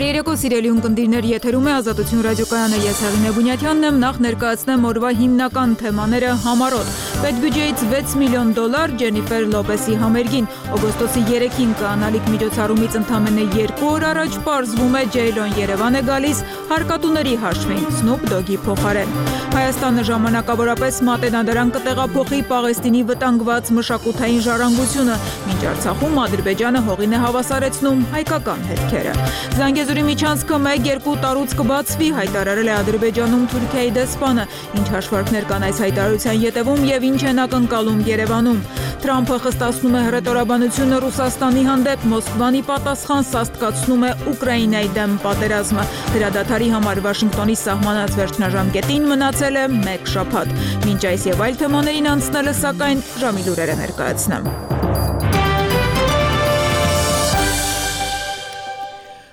Բարերեկո սիրելի ունկնդիրներ, եթերում է Ազատություն ռադիոկայանը, ես Հեղինե Բունյաթյանն եմ, նախ ներկայացնեմ օրվա հիմնական թեմաները համառոտ։ Պետբյուջեից $6 միլիոն Ջենիֆեր Լոպեսի համերգին, օգոստոսի 3-ին կանալիք միջոցառումից ընդամենը 2 օր առաջ պարզվում է Ջեյլոն Երևան է գալիս հարկատուների հաշվին Սնուփ Դոգի փոխարեն։ Հայաստանը ժամանակավորապես մատենադարան կտեղափոխի Պաղեստինի վտանգված մշակութային ժառանգությունը, մինչ Արցախում Ադրբեջանը հողին է հավասարեցնում հայկական հետքերը։ Զանգեզուրի միջանցքը 1-2 տարուց կբացվի, հայտարարել է Ադրբեջանում Թուրքիայի դեսպանը, ինչ հաշվարկներ կան այս հայտարարության ետևում եւ ինչ են ակնկալում Երևանում։ Թրամփը խստացնում է հռետորաբանությունը Ռուսաստանի հանդեպ, Մոսկվանի պատասխան սաստկացնում է Ուկրաինայի դեմ պատերազմը։ Հրադադարի համար Վաշինգտոնի սահմանած վերջնաժամկետին մնացել է 1 շաբաթ։ Մինչ այս եւ այլ թեմաներին անցնելը, սակայն ժամի լուրերը ներկայացնեմ։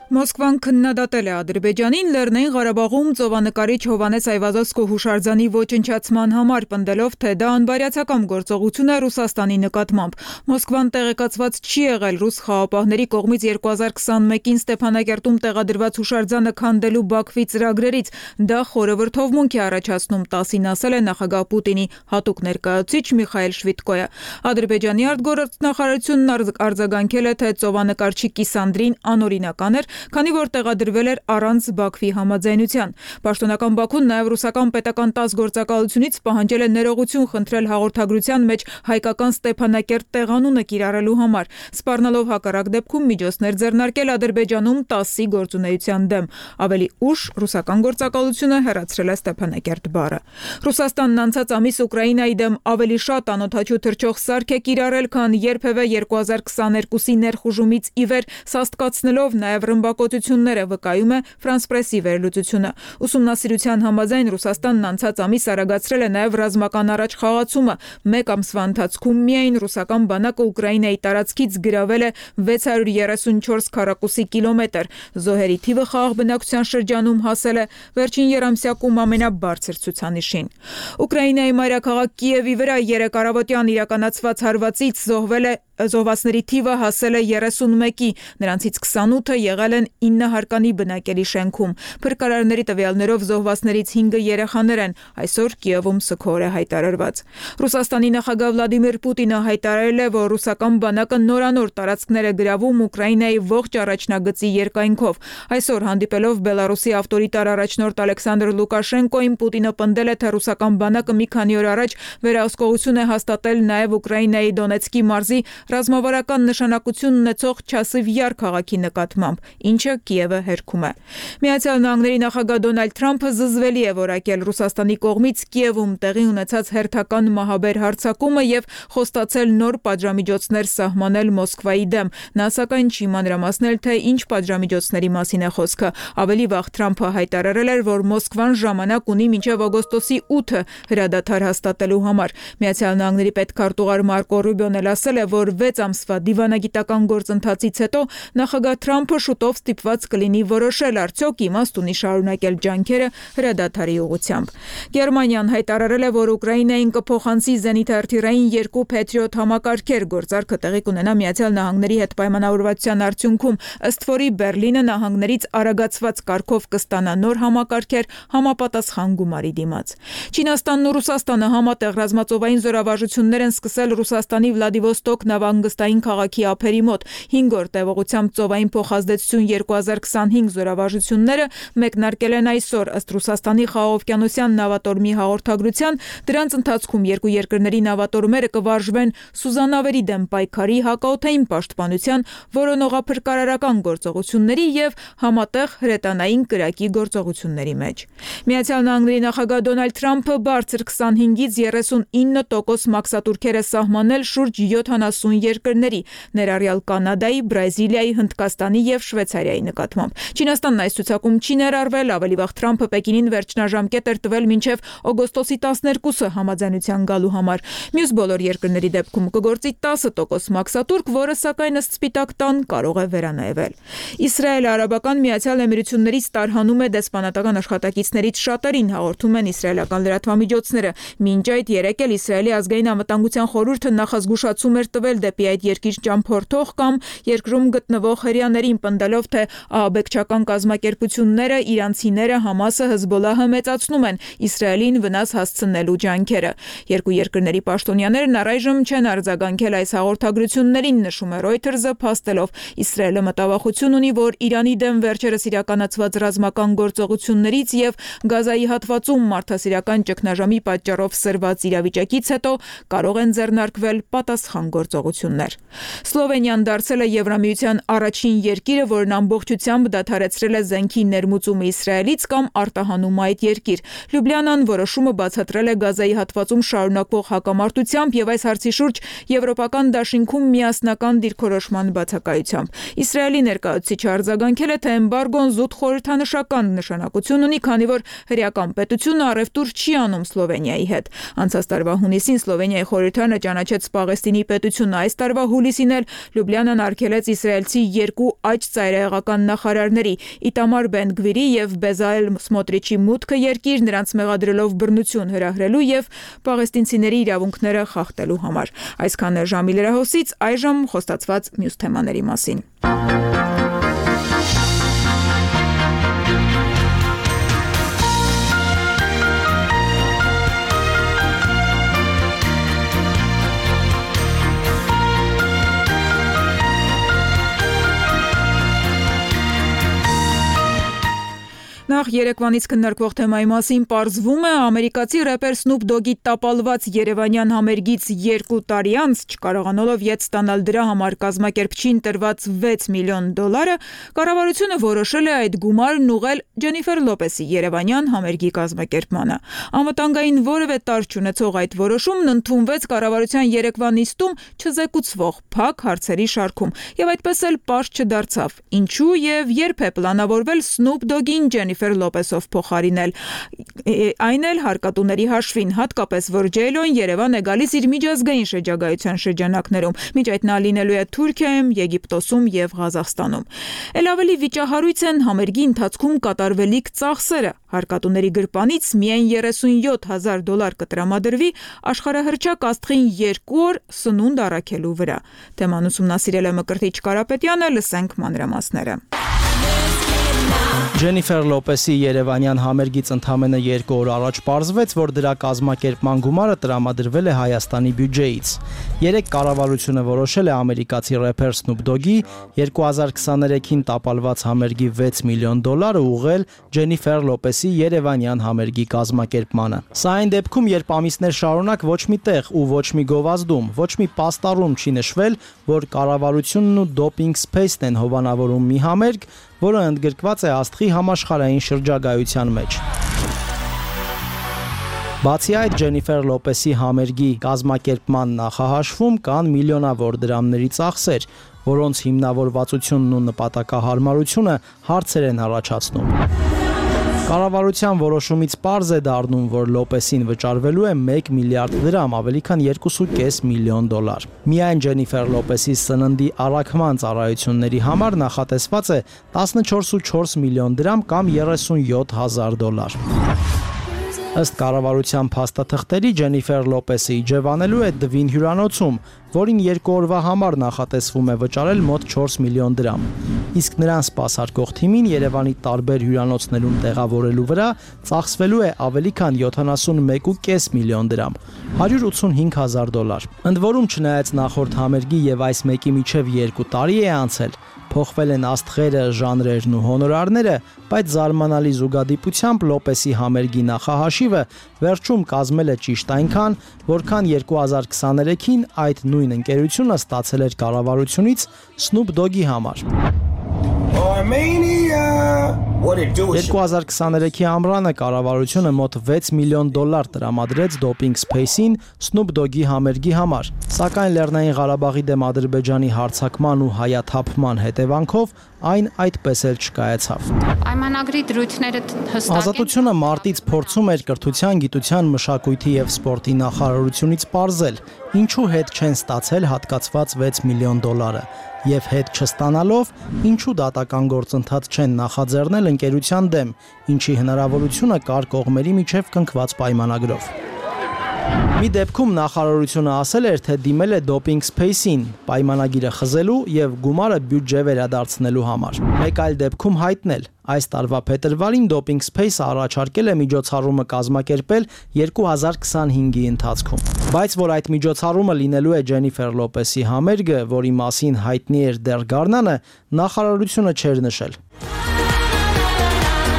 Մոսկվան քննադատել է Ադրբեջանին Լեռնային Ղարաբաղում ծովանկարիչ Հովհաննես Այվազովսկու հուշարձանի ոչնչացման համար, պնդելով, թե դա անբարյացակամ գործողություն է Ռուսաստանի նկատմամբ։ Մոսկվան տեղեկացված չի եղել ռուս խաղապահների կողմից 2021-ին Ստեփանակերտում տեղադրված հուշարձանը քանդելու Բաքվի ծրագրերից։ Դա խորը վրդովմունք է առաջացնում, 10-ին ասել է նախագահ Պուտինի հատուկ ներկայացուցիչ Միխայել Շվիդկոյը։ Ադրբեջանի արտգործնախարարությունն արձագանքել է, թե ծովանկարչի կիսանդրին անօրինական էր, քանի որ տեղադրվել էր առանց Բաքվի համաձայնության։ Պաշտոնական Բաքուն նաև ռուսական պետական 10 գործակալությունից պահանջել է ներողություն խնդրել հաղորդագրության մեջ հայկական Ստեփանակերտ տեղանունը կիրառելու համար, սպառնալով հակառակ դեպքում միջոցներ ձեռնարկել Ադրբեջանում 10-ի գործունեության դեմ։ Ավելի ուշ ռուսական գործակալությունը հեռացրել է Ստեփանակերտ բառը։ Ռուսաստանն անցած ամիս Ուկրաինայի դեմ ավելի շատ անօդաչու թռչող սարք է կիրառել, քան երբևէ 2022-ի ներխուժումից ի վեր, սաստկացնելով նաև ռմբակոծությունները, վկայում է Ֆրանս Պրեսի վերլուծությունը։ Ուսումնասիրության համաձայն Ռուսաստանն անցած ամիս արագացրել է նաև ռազմական առաջխաղացումը։ 1 ամսվա ընթացքում միայն ռուսական բանակը Ուկրաինայի տարածքից գրավել է 634 քառակուսի կիլոմետր։ Զոհերի թիվը խաղաղ բնակության շրջանում հասել է վերջին երամսյակում ամենաբարձր ցուցանիշին։ Ուկրաինայի մայրաքաղաք Կիևի վրա 3 առավոտյան իրականացված հարվածից զոհվածների թիվը հասել է 31-ի, նրանցից 28-ը եղել են 9 հարկանի բնակելի շենքում։ Փրկարարների տվյալներով զոհվածներից 5-ը երեխաներ են։ Այսօր Կիևում սգոր է հայտարարված։ Ռուսաստանի նախագահ Վլադիմիր Պուտինը հայտարարել է, որ ռուսական բանակը նորանոր տարածքներ է գրավում Ուկրաինայի ողջ առաջնագծի երկայնքով։ Այսօր հանդիպելով Բելարուսի ավտորիտար առաջնորդ Ալեքսանդր Լուկաշենկոին, Պուտինը պնդել է, թե ռուսական բանակը մի քանի օր առաջ վերահսկողություն է հաստատել նաև Ուկրաինայի Դոնեցկի մարզի ռազմավարական նշանակություն ունեցող Չասիվ Յար քաղաքի նկատմամբ, ինչը Կիևը հերքում է։ Միացյալ Նահանգների նախագահ Դոնալդ Թրամփը զզվելի է որակել Ռուսաստանի կողմից Կիևում տեղի ունեցած հերթական մահաբեր հարձակումը եւ խոստացել նոր պատժամիջոցներ սահմանել Մոսկվայի դեմ։ Նա սակայն չի մանրամասնել, թե ինչ պատժամիջոցների մասին է խոսքը։ Ավելի վաղ Թրամփը հայտարարել էր, որ Մոսկվան ժամանակ ունի մինչև օգոստոսի 8-ը հրադադար հաստատելու համար։ Միացյալ Նահանգների պետքարտուղար Մարկո Ռուբիոն էլ ասել է, որ 6 ամսվա դիվանագիտական գործընթացից հետո նախագահ Թրամփը շուտով ստիպված կլինի որոշել, արդյոք իմաստ ունի շարունակել ջանքերը հրադադարի ուղղությամբ։ Գերմանիան հայտարարել է, որ Ուկրաինային կփոխանցի զենիթ-արտիլերային 2 Patriot համակարգեր, գործարքը տեղի կունենա Միացյալ Նահանգների հետ պայմանավորվածության արդյունքում, ըստ որի Բերլինը նահանգներից արագացված կարգով կստանա նոր համակարգեր համապատասխան գումարի դիմաց։ Չինաստանն ու Ռուսաստանը համատեղ ռազմածովային զորավարժություններ են սկսել Ռուսաստանի Վլադիվոստոկ նավահանգստային քաղաքի ափերի մոտ։ 5-րդ տևողությամբ ծովային փոխազդեցություն 2025 զորավարժությունները մեկնարկել են այսօր, ըստ Ռուսաստանի խաղաղօվկիանոսյան նավատորմի հաղորդագրության, դրանց ընթացքում երկու երկրների նավատորմերը կվարժվեն սուզանավերի դեմ պայքարի, հակաօդային պաշտպանության, որոնողափրկարարական գործողությունների եւ համատեղ հրետանային կրակի գործողությունների մեջ։ Միացյալ Նահանգների նախագահ Դոնալդ Թրամփը բարձր 25-ից 39% մաքսատուրքեր է սահմանել շուրջ 70 երկրների, ներառյալ Կանադայի, Բրազիլիայի, Հնդկաստանի եւ Շվեյցարիայի նկատմամբ։ Չինաստանն այս ցուցակում չի ներառվել, ավելի վաղ Թրամփը Պեկինին վերջնաժամկետ էր տվել մինչև օգոստոսի 12-ը համաձայնության գալու համար։ Մյուս բոլոր երկրների դեպքում կգործի 10% մաքսատուրք, որը սակայն ըստ Սպիտակ տան կարող է վերանայվել։ Իսրայելը Արաբական Միացյալ Էմիրություններից տարհանում է դեսպանատական աշխատակիցներից շատերին, հաղորդում են իսրայելական լրատվամիջոցները։ Մինչ այդ երեկ էլ Իսրայելի ազգային անվտանգության խորհուրդը նախազգուշացում էր տվել դեպի այդ երկիր ճամփորդող կամ երկրում գտնվող հրեաներին, պնդելով, թե ահաբեկչական կազմակերպությունները, իրանցիները, Համասը, Հզբոլահը մեծացնում են Իսրայելին վնաս հասցնելու ջանքերը։ Երկու երկրների պաշտոնյաներն առայժմ չեն արձագանքել այս հաղորդագրություններին, նշում է Reuters-ը, փաստելով Իսրայելը մտավախություն ունի, որ Իրանի դեմ վերջերս իրականացված ռազմական գործողություններից եւ Գազայի հատվածում մարդասիրական ճգնաժամի պատճառով սրված իրավիճակից հետո կարող են ձեռնարկվել պատասխան գործողություններ։ Սլովենիան դարձել է Եվրամիության առաջին երկիրը, որն ամբողջությամբ դադարեցրել է զենքի ներմուծումը Իսրայելից կամ արտահանում այդ երկիր։ Լյուբլիանան որոշումը բացատրել է Գազայի հատվածում շարունակվող հակամարտությամբ եւ այս հարցի շուրջ եվրոպական դաշինքում միասնական դիրքորոշման բացակայությամբ։ Իսրայելի ներկայացուցիչը արձագանքել է, թե էմբարգոն զուտ խորհրդանշական նշանակություն ունի, քանի որ հրեական պետությունը առևտուր չի անում Սլովենիայի հետ։ Անցած տարվա հունիսին Սլովենիայի խորհրդարանը ճանաչեց Պաղեստինի պետությունը։ Այս տարվա հուլիսին էլ Լյուբլիանան արգելեց իսրայելցի երկու աջ ծայրահեղական նախարարների՝ Իտամար Բեն-Գվիրի եւ Բեզալել Սմոտրիչի մուտքը երկիր, նրանց մեղադրելով բռնություն հրահրելու եւ պաղեստինցիների իրավունքները խախտելու համար։ Այսքանը ժամի լրահոսից, այժմ խոստացված մյուս թեմաների մասին։ Նախ երեկվանից քննարկվող թեմայի մասին պարզվում է, ամերիկացի рэպեր Snoop Dogg-ի տապալված երևանյան համերգից 2 տարի անց, չկարողանալով ետ ստանալ դրա համար կազմակերպչին տրված $6 միլիոն, կառավարությունը որոշել է այդ գումարն ուղղել Ջենիֆեր Լոպեսի երևանյան համերգի կազմակերպմանը։ Անվտանգային որևէ տարր չունեցող այդ որոշումն ընդունվեց կառավարության երեկվա նիստում չզեկուցվող փակ հարցերի շարքում, եւ այդպես էլ պարզ չդարձավ, ինչու եւ երբ է պլանավորվել Snoop Dogg-ին Ջենիֆեր Լոպեսով փոխարինել։ Այն էլ հարկատուների հաշվին, հատկապես որ Ջեյլոն Երևան է գալիս իր միջազգային շրջագայության շրջանակներում, մինչ այդ նա լինելու է Թուրքիայում, Եգիպտոսում եւ Ղազախստանում։ Էլ ավելի վիճահարույց են համերգի ընթացքում կատարվելիք ծախսերը։ Հարկատուների գրպանից միայն $37,000 կտրամադրվի աշխարհահռչակ աստղին 2 օր սնունդ առաքելու վրա։ Թեման ուսումնասիրել է Մկրտիչ Կարապետյանը, լսենք մանրամասները։ Ջենիֆեր Լոպեսի երևանյան համերգից ընդամենը 2 օր առաջ պարզվեց, որ դրա կազմակերպման գումարը տրամադրվել է Հայաստանի բյուջեից։ Երեկ կառավարությունը որոշել է ամերիկացի рэփեր Snoop Dogg-ի 2023-ին տապալված համերգի $6 միլիոն ուղղել Ջենիֆեր Լոպեսի երևանյան համերգի կազմակերպմանը։ Սա այն դեպքում, երբ ամիսներ շարունակ ոչ մի տեղ ու ոչ մի գովազդում, ոչ մի պաստառում չի նշվել, որ կառավարությունն ու Doping Space-ն են հովանավորում մի համերգ, որը ընդգրկված է աստղի համաշխարհային շրջագայության մեջ։ Բացի այդ, Ջենիֆեր Լոպեսի համերգի կազմակերպման նախահաշվում կան միլիոնավոր դրամների ծախսեր, որոնց հիմնավորվածությունն ու նպատակահարմարությունը հարցեր են առաջացնում։ Կառավարության որոշումից պարզ է դառնում, որ Լոպեսին վճարվելու է $1 միլիարդ, ավելի քան $2.5 միլիոն։ Միայն Ջենիֆեր Լոպեսի սննդի առաքման ծառայությունների համար նախատեսված է $14.4 միլիոն կամ $37,000։ Ըստ կառավարության փաստաթղթերի Ջենիֆեր Լոպեսը իջևանելու է Դվին հյուրանոցում, որին 2 օրվա համար նախատեսվում է վճարել մոտ $4 միլիոն։ Իսկ նրան սպասարկող թիմին Երևանի տարբեր հյուրանոցներում տեղավորելու վրա ծախսվելու է ավելի քան $71.5 միլիոն, $185,000։ Ընդ որում, չնայած նախորդ համերգի եւ այս մեկի միջև 2 տարի է անցել, փոխվել են աստղերը, ժանրերն ու հոնորարները, բայց զարմանալի զուգադիպությամբ Լոպեսի համերգի նախահաշիվը վերջում կազմել է ճիշտ այնքան, որքան 2023-ին այդ նույն ընկերությունը ստացել էր կառավարությունից Snoop Dogg-ի համար։ 2023-ի ամռանը կառավարությունը մոտ $6 միլիոն տրամադրեց Doping Space-ին Snoop Dogg-ի համերգի համար, սակայն Լեռնային Ղարաբաղի դեմ Ադրբեջանի հարձակման ու հայաթափման հետևանքով այն այդպես էլ չկայացավ։ Պայմանագրի դրույթները հստակ են։ Ազատությունը մարտից փորձում էր կրթության, գիտության, մշակույթի եւ սպորտի նախարարությունից պարզել, ինչու հետ չեն ստացել հատկացված $6 միլիոն եւ հետ չստանալով, ինչու դատական գործընթաց չեն նախաձեռնել ընկերության դեմ, ինչի հնարավորությունը կար կողմերի միջև կնքված պայմանագրով։ Մի դեպքում նախարարությունը ասել էր, թե դիմել է Doping Space-ին պայմանագիրը խզելու եւ գումարը բյուջե վերադարձնելու համար։ Մեկ այլ դեպքում հայտնել, այս տարվա փետրվարին Doping Space-ը առաջարկել է միջոցառումը կազմակերպել 2025-ի ընթացքում։ Բայց որ այդ միջոցառումը լինելու է Ջենիֆեր Լոպեսի համերգը, որի մասին հայտնի էր դեռ գարնանը, նախարարությունը չէր նշել։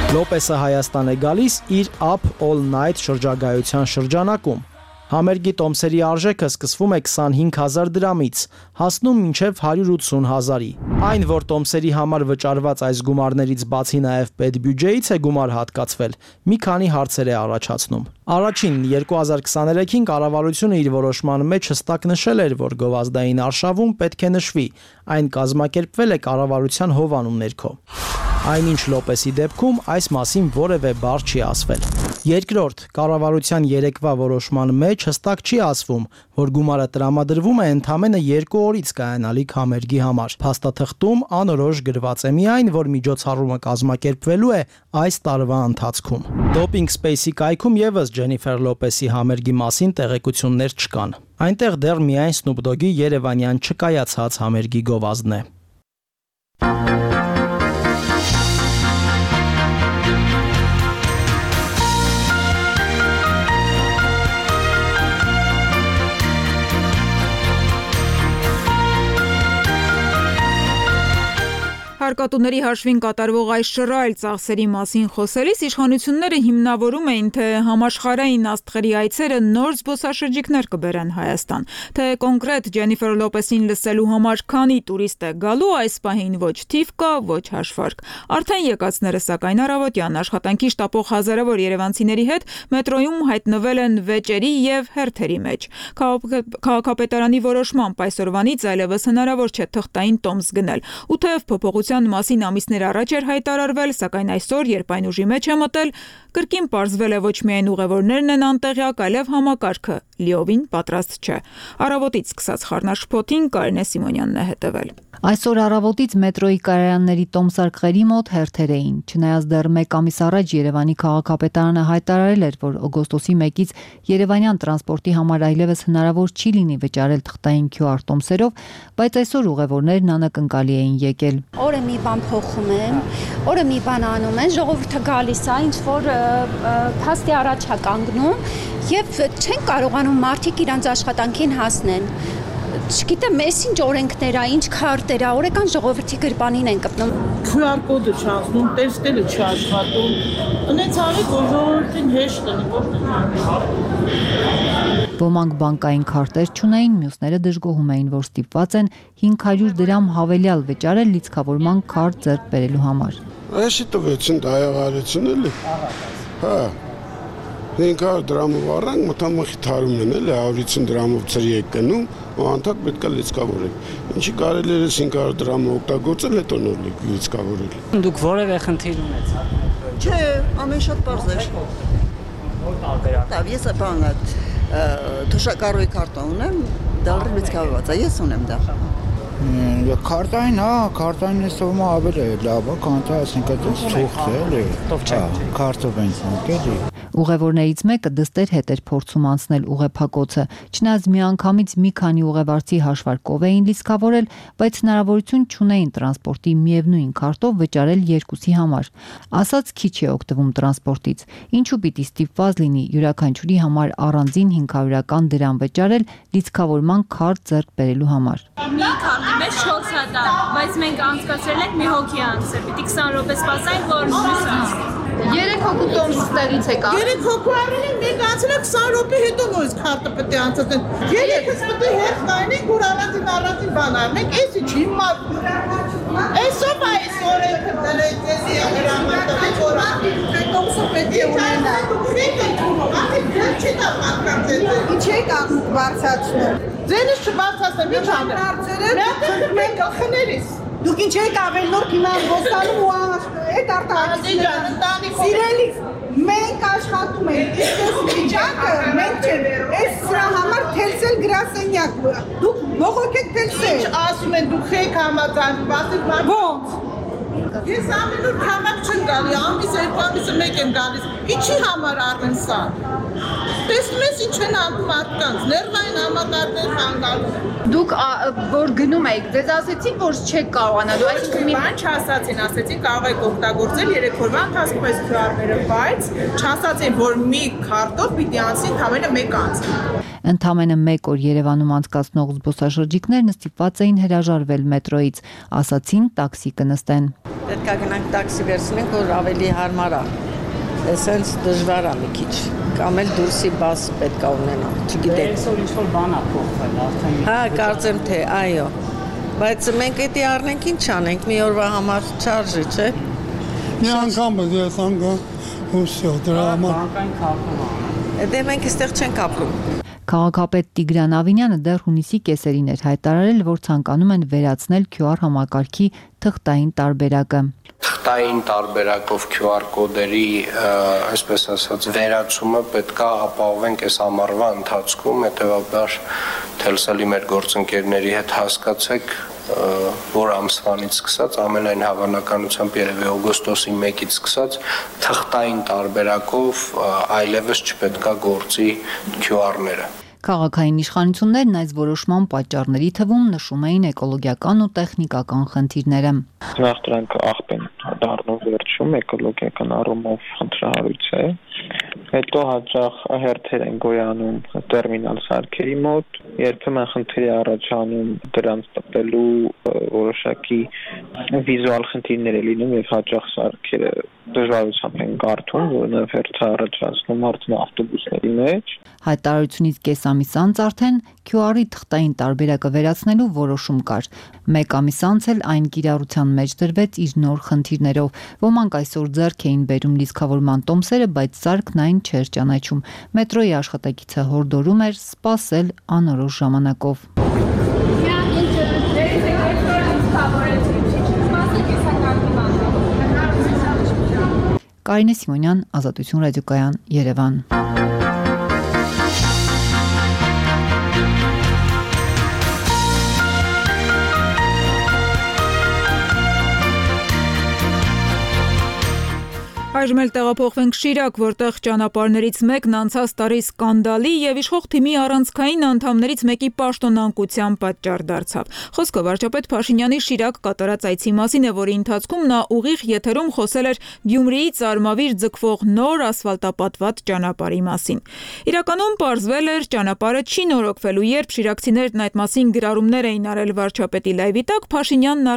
Լոպեսը Հայաստան է գալիս իր Up All Night շրջագայության շրջանակում։ Համերգի տոմսերի արժեքը սկսվում է 25,000 դրամից, հասնում մինչև 180,000-ի։ Այն, որ տոմսերի համար վճարված այս գումարներից բացի նաև պետբյուջեից է գումար հատկացվել, մի քանի հարցեր է առաջացնում։ Առաջին 2023-ին կառավարությունը իր որոշման մեջ հստակ նշել էր, որ գովազդային արշավում պետք է նշվի, այն կազմակերպվել է կառավարության հովանու ներքո։ Այնինչ Լոպեսի դեպքում այս մասին որևէ բառ չի ասվել։ Երկրորդ, կառավարության երեկվա որոշման մեջ հստակ չի ասվում, որ գումարը տրամադրվում է ընդամենը 2 օրից կայանալիք համերգի համար։ Փաստաթղթում անորոշ գրված է միայն, որ միջոցառումը կազմակերպվելու է այս տարվա ընթացքում։ Doping Space-ի կայքում եւս Ջենիֆեր Լոպեսի համերգի մասին տեղեկություններ չկան։ Այնտեղ դեռ միայն Snoop Dogg-ի երևանյան չկայացած համերգի գովազդն է։ Հարկատուների հաշվին կատարվող այս շռայլ ծախսերի մասին խոսելիս իշխանությունները հիմնավորում էին, թե համաշխարհային աստղերի այցերը նոր զբոսաշրջիկներ կբերեն Հայաստան, թե կոնկրետ Ջենիֆեր Լոպեսին լսելու համար քանի տուրիստ է գալու, այս պահին ոչ թիվ կա, ոչ հաշվարկ։ Արդեն եկածները սակայն առավոտյան աշխատանքի շտապող հազարավոր երևանցիների հետ մետրոյում հայտնվել են վեճերի եւ հերթերի մեջ։ Քաղաքապետարանի որոշմամբ այսօրվանից այլևս հնարավոր չէ թղթային տոմս գնել, ու թեև փոփոխության մասին ամիսներ առաջ էր հայտարարվել, սակայն այսօր, երբ այն ուժի մեջ է մտել, կրկին պարզվել է ոչ միայն ուղևորներն են անտեղյակ, այլև համակարգը լիովին պատրաստ չէ։ Առավոտից սկսած խառնաշփոթին Կարինե Սիմոնյանն է հետևել։ Այսօր առավոտից մետրոյի կայարանների տոմսարկղերի մոտ հերթեր էին, չնայած դեռ մեկ ամիս առաջ Երևանի քաղաքապետարանը հայտարարել էր, որ օգոստոսի 1-ից երևանյան տրանսպորտի համար այլևս հնարավոր չի լինի վճարել թղթային QR տոմսերով, բայց այսօր ուղևորներն անակնկալի էին եկել։ Օրը մի բան փոխում են, օրը մի բան անում են, ժողովուրդը գալիս է, ինչ որ փաստի առաջ է կանգնում եւ չեն կարողանում մարդիկ իրանց աշխատանքին հասնեն։ Չգիտեմ, ինչ օրենքներ է, ինչ քարտեր է, օրական ժողովրդի գրպանին են կպնում։ QR կոդը չանցնում, տեստելը չաշխատում։ Ունեց արեք, որ ժողովրդին հեշտ լինի, Ոմանք բանկային քարտեր չունեին, մյուսները դժգոհում էին, որ ստիպված են 500 դրամ հավելյալ վճարել լիցքավորման քարտ ձեռք բերելու համար։ Այսի տվեցին դայավարեցին էլի։ Հա։ 500 դրամով առանք մտամախի թարումն են էլի 150 դրամով ծրի եք գնում, ու անդադ պետք է լիցքավորել։ Ինչի կարելի է 500 դրամը օգտագործել, հետո նոր լիցքավորել։ Դուք որևէ խնդիր ունեցաք։ Չէ, ամեն շատ պարզ էր։ Որ տարբերակ։ Դա ես բան թոշակառույի քարտա ունեմ, դալրի լիցքավորված է, ես ունեմ դա։ Քարտային, հա, քարտային նստվում ավելի լավ է, քան թե այսինքն ցուղթ է, էլի։ Քարտով ենք անկելի։ Ուղևորներից մեկը դստեր հետ էր փորձում անցնել ուղեփակոցը, չնայած միանգամից մի քանի ուղևորցի հաշվարկով էին լիցքավորել, բայց հնարավորություն չունեին տրանսպորտի միևնույն քարտով վճարել երկուսի համար։ Ասած քիչ է օգտվում տրանսպորտից, ինչու պիտի ստիպված լինի յուրաքանչյուրի համար առանձին 500 դրամ վճարել լիցքավորման քարտ ձեռք բերելու համար։ Մի քանի մեզ 4 հատ, բայց մենք անցկացրել ենք մի հոգի անցը, պիտի 20 րոպե սպասենք, որ մյուս անցնի։ 3 հոգու տոմս ստեղից եկա։ 3 հոգու առին մենք անցել ենք 20 րոպե հետո նույնս քարտը պետք է անցնեն։ Երեքս պետք է հետ նայենք, որ առանձին բան անենք, էսի չի մատ։ Էսով այս օրենքը դրեցի հրամանը, որ տոմսը պետք է ունենա։ Ինչ եք բարձրացնում։ Ձենից չբարձրացնեմ, ինչ անեմ։ Մենք խներիս։ Դուք ինչ եք ավելնորդ հիմա ոստանում ու այդ արտահայտությունները։ Սիրելիս, մենք աշխատում ենք, իսկ այս վիճակը մենք չենք, այս սրա համար թելսել գրասենյակ, դուք բողոք եք թելսել։ Ինչ ասում են, դուք եք համաձայնում, ասեք ոնց։ զարգացնում։ Ես ամեն օր քաղաք չեմ գալի, ամիս 2 ամիսը մեկ եմ գալիս։ Ինչի համար արվեն սա։ Տեսնում ես ինչ են անում մարդկանց, ներվային համակարգեր խանգարում։ Դուք որ գնում եք, ձեզ ասեցին, որ չեք կարողանալու, այսինքն մի բան չասացին, ասեցին կարող եք օգտագործել 3 օրվա ընթացքում այս QR-ները, բայց չասացին, որ մի քարտով պիտի անցնի ընդամենը 1 անց։ Ընդամենը 1 օր Երևանում անցկացնող զբոսաշրջիկներն ստիպված էին հրաժարվել մետրոյից, ասացին տաքսի կնստեն։ Պետք է գնանք տաքսի վերցնենք, որ ավելի հարմար է։ Էսենց դժվար է մի քիչ։ Կամ էլ դուրսի բաս պետք է ունենանք, չգիտեմ։ Այսօր ինչ որ բան է փոխվել, արդեն։ Հա, կարծեմ թե, այո։ Բայց մենք էդի առնենք ինչ անենք, մի օրվա համար չարժի, չէ։ Մի անգամ ես անգամ ուսյո դրա համար։ Բանկային քարտով է։ Դե մենք այստեղ չենք ապրում։ Քաղաքապետ Տիգրան Ավինյանը դեռ հունիսի կեսերին էր հայտարարել, որ ցանկանում են վերացնել QR համակարգի թղթային տարբերակը։ Թղթային տարբերակով QR կոդերի, այսպես ասած, վերացումը պետք է ապահովենք այս ամառվա ընթացքում, հետևաբար Telcel-ի մեր գործընկերների հետ հասկացեք, որ ամսվանից սկսած, ամենայն հավանականությամբ երևի օգոստոսի 1-ից սկսած թղթային տարբերակով այլևս չպետք է գործի QR-ները։ Քաղաքային իշխանություններն այս որոշման պատճառների թվում նշում էին էկոլոգիական ու տեխնիկական խնդիրները։ Նախ դրանք աղբ են դառնում վերջում, էկոլոգիական առումով խնդրահարույց է։ Հետո հաճախ հերթեր են գոյանում տերմինալ սարքերի մոտ, երբեմն խնդիր է առաջանում դրանց տպելու որոշակի վիզուալ խնդիրներ է լինում եւ հաճախ սարքերը դժվարությամբ են կարդում, որոնով հերթը առաջացնում արդեն ավտոբուսների մեջ։ Հայտարարությունից կես ամիս անց արդեն QR-ի թղթային տարբերակը վերացնելու որոշում կար։ 1 ամիս անց էլ այն կիրառության մեջ դրվեց իր նոր խնդիրներով։ Ոմանք այսօր ձեռք էին բերում լիցքավորման տոմսերը, բայց սարքն այն չէր ճանաչում։ Մետրոյի աշխատակիցը հորդորում էր սպասել անորոշ ժամանակով։ Կարինե Սիմոնյան, Ազատություն ռադիոկայան, Երևան։ Այժմ էլ տեղափոխվենք Շիրակ, որտեղ ճանապարհներից մեկն անցած տարի սկանդալի եւ իշխող թիմի առանցքային անդամներից մեկի պաշտոնանկության պատճառ դարձավ։ Խոսքը վարչապետ Փաշինյանի Շիրակ կատարած այցի մասին է, որի ընթացքում նա ուղիղ եթերում խոսել էր Գյումրիից Արմավիր ձգվող նոր ասֆալտապատված ճանապարհի մասին։ Իրականում պարզվել էր, ճանապարհը չի նորոգվելու, երբ շիրակցիներն այդ մասին գրառումներ էին արել վարչապետի լայվի տակ, Փաշինյանն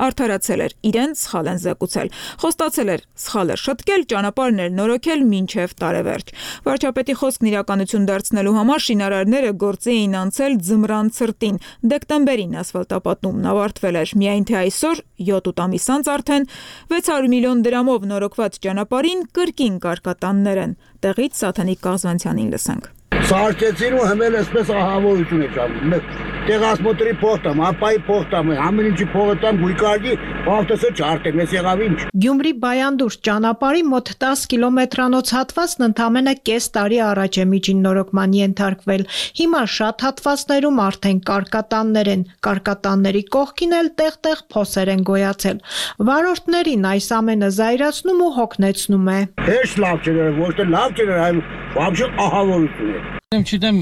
արդարացրել էր, իրենց սխալ են զեկուցել, խոստացել էր սխալը շտկել, ճանապարհներ նորոգել մինչև տարեվերջ։ Վարչապետի խոսքն իրականություն դարձնելու համար շինարարները գործի էին անցել ձմռան ցրտին։ Դեկտեմբերին ասֆալտապատումն ավարտվել էր, միայն թե այսօր 7 ամիս անց արդեն 600 միլիոն դրամով նորոգված ճանապարհին կրկին կարկատաններ են։ Տեղից Սաթանիկ Կազվանցյանին լսենք։ Սարքեցին ու հմել այսպես ահավորություն է ճանում։ Տեղասմոտրի փոխտամ, ապայի փոխտամ, ամեն ինչի փոխտամ, գույկարգի, ավտոսը չարտեմ, ես եղավ ինչ։ Գյումրի Բայանդուրս ճանապարհի մոտ 10 կիլոմետրանոց հատվածն ընդամենը կես տարի առաջ է միջին նորոգման ենթարկվել։ Հիմա շատ հատվածներում արդեն կարկատաններ են, կարկատանների կողքին էլ տեղ-տեղ փոսեր են գոյացել։ Վարորդներին այս ամենը զայրացնում ու հոգնեցնում է։ Հեշտ լավ չէր, ոչ թե լավ չէր, այլ вообще ահավորություն է։ Չգիտեմ,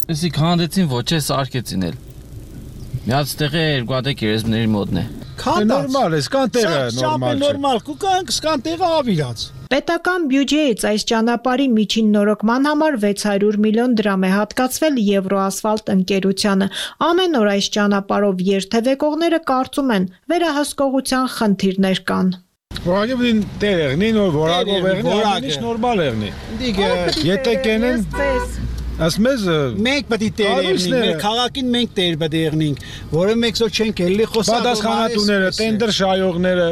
էսի քանդեցին ոչ է սարքեցին էլ։ Միած տեղը երկու գերեզմների մոտն է։ Նորմալ է, սկան տեղը նորմալ չէ։ Նորմալ, կուկանք սկան տեղը ավիրած։ Պետական բյուջեից այս ճանապարհի միջին նորոգման համար 600 միլիոն դրամ է հատկացվել Եվրոասֆալտ ընկերությանը։ Ամեն օր այս ճանապարհով երթևեկողները կարծում են, վերահսկողության խնդիրներ կան։ Որակի տեղն ինո որակով եղնի, ամենից նորմալ եղնի։ Եթե կենեն ասմեզ մենք պետք է տերերնենք, մեր քաղաքին մենք տեր պետք է եղնենք, որը մենք սո չենք էլի խոսալ։ Պատասխանատուները, տենդեր շահողները,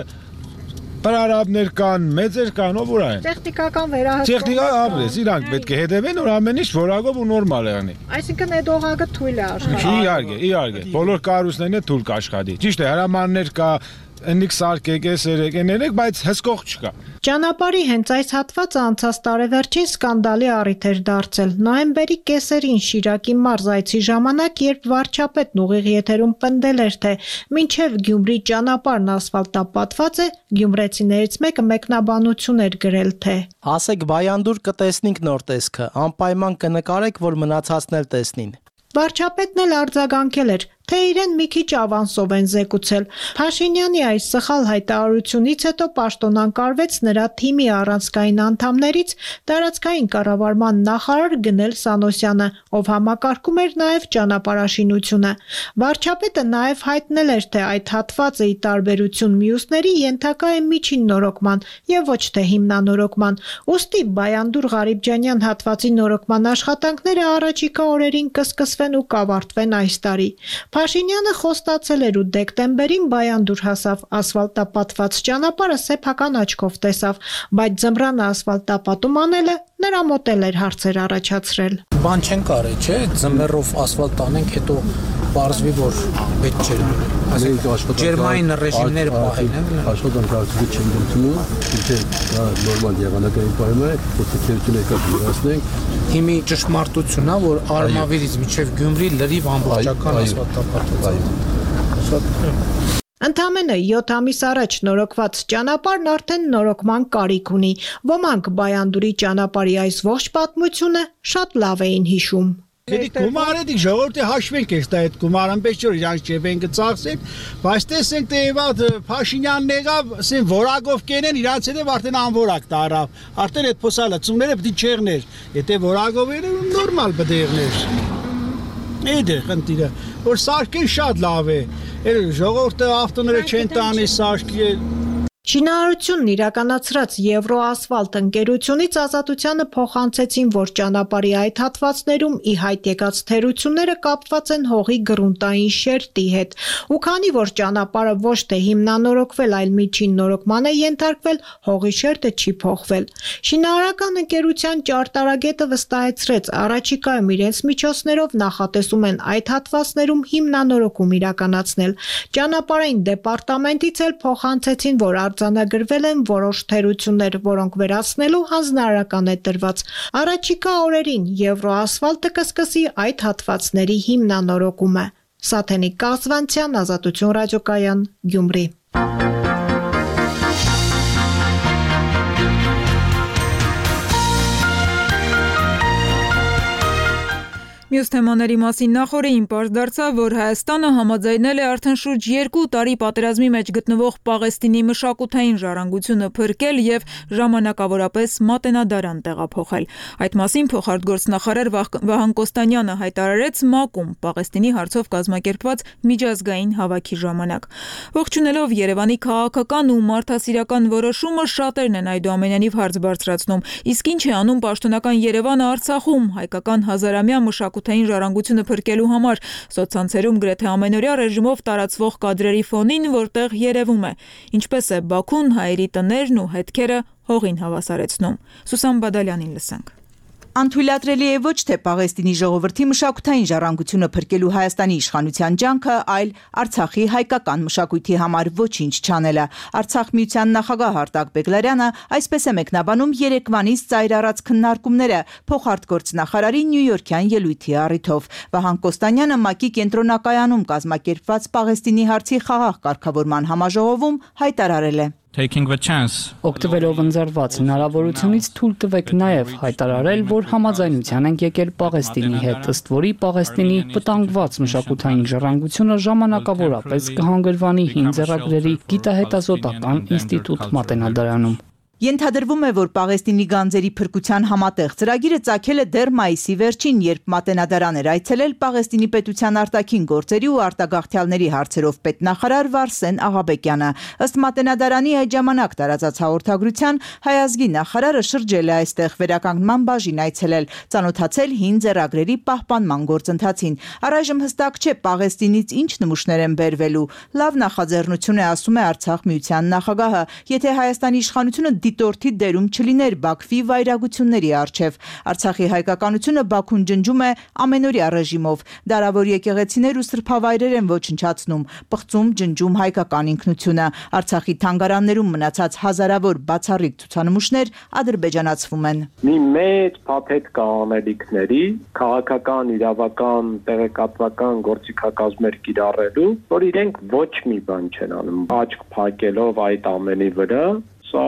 պարարաբներ կան, մեծեր կան, ով ուր են։ Տեխնիկական վերահսկողություն։ Տեխնիկա ապրես, իրանք պետք է հետևեն, որ ամեն ինչ որակով ու նորմալ եղնի։ Այսինքն այդ օղակը թույլ է աշխատի։ Իհարկե, բոլոր կառույցներն է թույլ կաշխատի։ Ճիշտ է, հրամաններ կա, ընիկ սարքեք, էս երեք, բայց հսկող չկա։ Ճանապարհի հենց այս հատվածը անցած տարեվերջին սկանդալի առիթ էր դարձել։ Նոյեմբերի կեսերին Շիրակի մարզ այցի ժամանակ, երբ վարչապետն ուղիղ եթերում պնդել էր, թե մինչև Գյումրի ճանապարհն ասֆալտապատված է, գյումրեցիներից մեկը մեկնաբանություն էր գրել, թե ասեք Բայանդուր կտեսնենք նոր տեսքը, անպայման կնկարեք, որ մնացածն էլ տեսնին։ Վարչապետն էլ արձագանքել էր, թե իրեն մի քիչ ավանսով են զեկուցել։ Փաշինյանի այս սխալ հայտարարությունից հետո պաշտոնանկարվեց նրա թիմի առանցքային անդամներից տարածքային կառավարման նախարար Գնել Սանոսյանը, ով համակարգում էր նաև ճանապարհաշինությունը։ Վարչապետը նաև հայտնել էր, թե այդ հատվածը ի տարբերություն մյուսների ենթակա է միջին նորոգման եւ ոչ թե հիմնանորոգման։ Ուստի Բայանդուր Ղարիբջանյան հատվածի նորոգման աշխատանքները առաջիկա օրերին կսկսվեն ու կավարտվեն այս տարի։ Փաշինյանը խոստացել էր ու դեկտեմբերին Բայանդուր հասավ, ասֆալտապատված ճանապարհը սեփական աչքով տեսավ, բայց ձմռանը ասֆալտապատում անելը նրա մոտ էր հարցեր առաջացրել։ Բան չեն կարել, չէ՞, ձմեռով ասֆալտ անենք, հետո պարզվի, որ պետք չէ։ Ջերմային ռեժիմները պահել են։ Աշխատանքները չեն դիմում, թե նորմալ եղանակային պայմաններ է, փոփոխություններ կատարենք։ Հիմի ճշմարտությունն է, որ Արմավիրից մինչև Գյումրի լրիվ ամբողջական ասֆալտապատված է։ Ընդամենը 7 ամիս առաջ նորոգված ճանապարհն արդեն նորոգման կարիք ունի։ Ոմանք Բայանդուրի ճանապարհի այս ողջ պատմությունը շատ լավ էին հիշում։ Դիք գումարը ժողովրդի հաշվենք էս այդ գումարը, այնպես որ իրանց ջեբեն կծախսեն, բայց տեսենք թե իվատ Փաշինյանն եղավ, ասեն որակով կենեն, իրանց հետև արդեն անորակ տարավ, արդեն այդ փոսալացումները պետք չեղներ, եթե որակով էր նորմալ պետք եղներ։ Այդ է խնդիրը, որ սարքեն շատ լավ է, ժողովուրդը ավտոները չեն տանի սարքի։ Շինարարությունն իրականացրած Եվրոասֆալտ ընկերությունից Ազատությանը փոխանցեցին, որ ճանապարհի այդ հատվածներում ի հայտ եկած թերությունները կապված են հողի գրունտային շերտի հետ, ու քանի որ ճանապարհը ոչ թե հիմնանորոգվել, այլ միջին նորոգման է ենթարկվել, հողի շերտը չի փոխվել։ Շինարարական ընկերության ճարտարագետը վստահեցրեց, առաջիկայում իրենց միջոցներով նախատեսում են այդ հատվածներում հիմնանորոգում իրականացնել։ Ճանապարհային դեպարտամենտից էլ փոխանցեցին, որ արձանագրվել են որոշ թերություններ, որոնք վերացնելու հանձնարարական է տրված։ Առաջիկա օրերին Եվրոասֆալտը կսկսի այդ հատվածների հիմնանորոգումը։ Սաթենիկ Կազվանցյան, Ազատություն ռադիոկայան, Գյումրի։ Մյուս թեմաների մասին նախորդին պարզ դարձավ, որ Հայաստանը համաձայնել է արդեն շուրջ 2 տարի պատերազմի մեջ գտնվող Պաղեստինի մշակութային ժառանգությունը փրկել եւ ժամանակավորապես մատենադարան տեղափոխել։ Այդ մասին փոխարտգործնախարար Վահան Կոստանյանը հայտարարեց ՄԱԿ-ում Պաղեստինի հարցով կազմակերպված միջազգային հավաքի ժամանակ։ Ողջունելով Երևանի քաղաքական ու մարդասիրական որոշումը, շատերն են այդուամենայնիվ հարց բարձրացնում, իսկ ինչ է անում պաշտոնական Երևանը Արցախում հայկական հազարամյա մշակութային ժառանգությունը փրկելու համար, սոցցանցերում գրեթե ամենօրյա ռեժիմով տարածվող կադրերի ֆոնին, որտեղ երևում է, ինչպես է Բաքուն հայերի տներն ու հետքերը հողին հավասարեցնում։ Սուսան Բադալյանին լսենք։ Անթույլատրելի է ոչ թե Պաղեստինի ժողովրդի մշակութային ժառանգությունը փրկելու Հայաստանի իշխանության ջանքը, այլ Արցախի հայկական մշակույթի համար ոչինչ չանելը։ Արցախ միության նախագահ Արտակ Բեգլարյանը այսպես է մեկնաբանում երեկվանից ծայր առած քննարկումները փոխարտգործնախարարի նյույորքյան ելույթի առիթով։ Վահան Կոստանյանը ՄԱԿ-ի կենտրոնակայանում կազմակերպված Պաղեստինի հարցի խաղաղ կարգավորման համաժողովում հայտարարել է. Օգտվելով ընձեռված հնարավորությունից թույլ տվեք նաև հայտարարել, որ համաձայնության ենք եկել Պաղեստինի հետ, ըստ որի Պաղեստինի վտանգված մշակութային ժառանգությունը ժամանակավորապես կհանգրվանի հին ձեռագրերի գիտահետազոտական ինստիտուտ մատենադարանում։ Ենթադրվում է, որ Պաղեստինի գանձերի փրկության համատեղ ծրագիրը ծագել է դեռ մայիսի վերջին, երբ մատենադարան էր այցելել Պաղեստինի պետության արտաքին գործերի ու արտագաղթյալների հարցերով պետնախարար Վարսեն Աղաբեկյանը։ Ըստ մատենադարանի այդ ժամանակ տարածած հաղորդագրության, հայ ազգի նախարարը շրջել է այստեղ վերականգնման բաժին այցելել, ծանոթացել հին ձեռագրերի պահպանման գործընթացին։ Առայժմ հստակ չէ Պաղեստինից ինչ նմուշներ են բերվելու։ Լավ նախաձեռնություն է, ասում է Արցախ միության նախագահը, եթե Հայաստանի իշխանությունը դիտորդի դերում չլիներ Բաքվի վայրագությունների առջև։ Արցախի հայկականությունը Բաքուն ջնջում է ամենօրյա ռեժիմով։ Դարավոր եկեղեցիներ ու սրբավայրեր են ոչնչացնում, պղծում, ջնջում հայկական ինքնությունը։ Արցախի թանգարաններում մնացած հազարավոր բացառիկ ցուցանմուշներ ադրբեջանացվում են։ Մի մեծ փաթեթ կա անելիքների, քաղաքական, իրավական, տեղեկատվական գործիքակազմեր կիրառելու, որ իրենք ոչ մի բան չեն անում, աչք փակելով այդ ամենի վրա, սա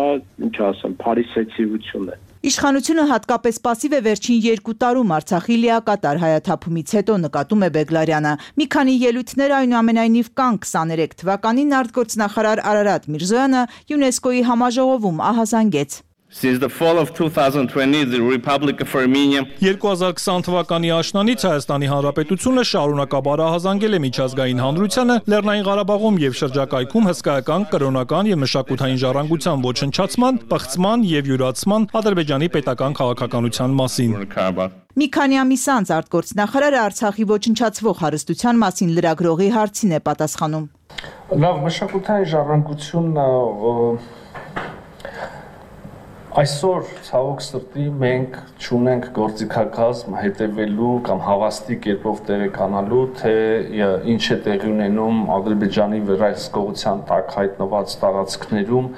ինչ ասեմ, փարիսեցիություն է։ Իշխանությունը հատկապես պասիվ է վերջին 2 տարում Արցախի լիակատար հայաթափումից հետո, նկատում է Բեգլարյանը։ Մի քանի ելույթներ այնուամենայնիվ կան 23 թվականին արտգործնախարար Արարատ Միրզոյանը ՅՈՒՆԵՍԿՕ-ի համաժողովում ահազանգեց։ Since the fall of 2020, the Republic of Armenia 2020 թվականի աշնանից Հայաստանի Հանրապետությունը շարունակաբար ահազանգել է միջազգային հանրությանը Լեռնային Ղարաբաղում եւ շրջակայքում հսկայական, կրոնական եւ մշակութային ժառանգության ոչնչացման, պղծման եւ յուրացման Ադրբեջանի պետական քաղաքականության մասին։ Մի քանի ամիս անց արտգործնախարարը Արցախի ոչնչացվող հարստության մասին լրագրողի հարցին է պատասխանում։ Լավ, մշակութային ժառանգությունը այսօր ցավոք սրտի մենք չունենք գործիքակազմ հետևելու կամ հավաստի կերպով տեղեկանալու, թե ինչ է տեղի ունենում Ադրբեջանի վերահսկողության տակ հայտնված տարածքներում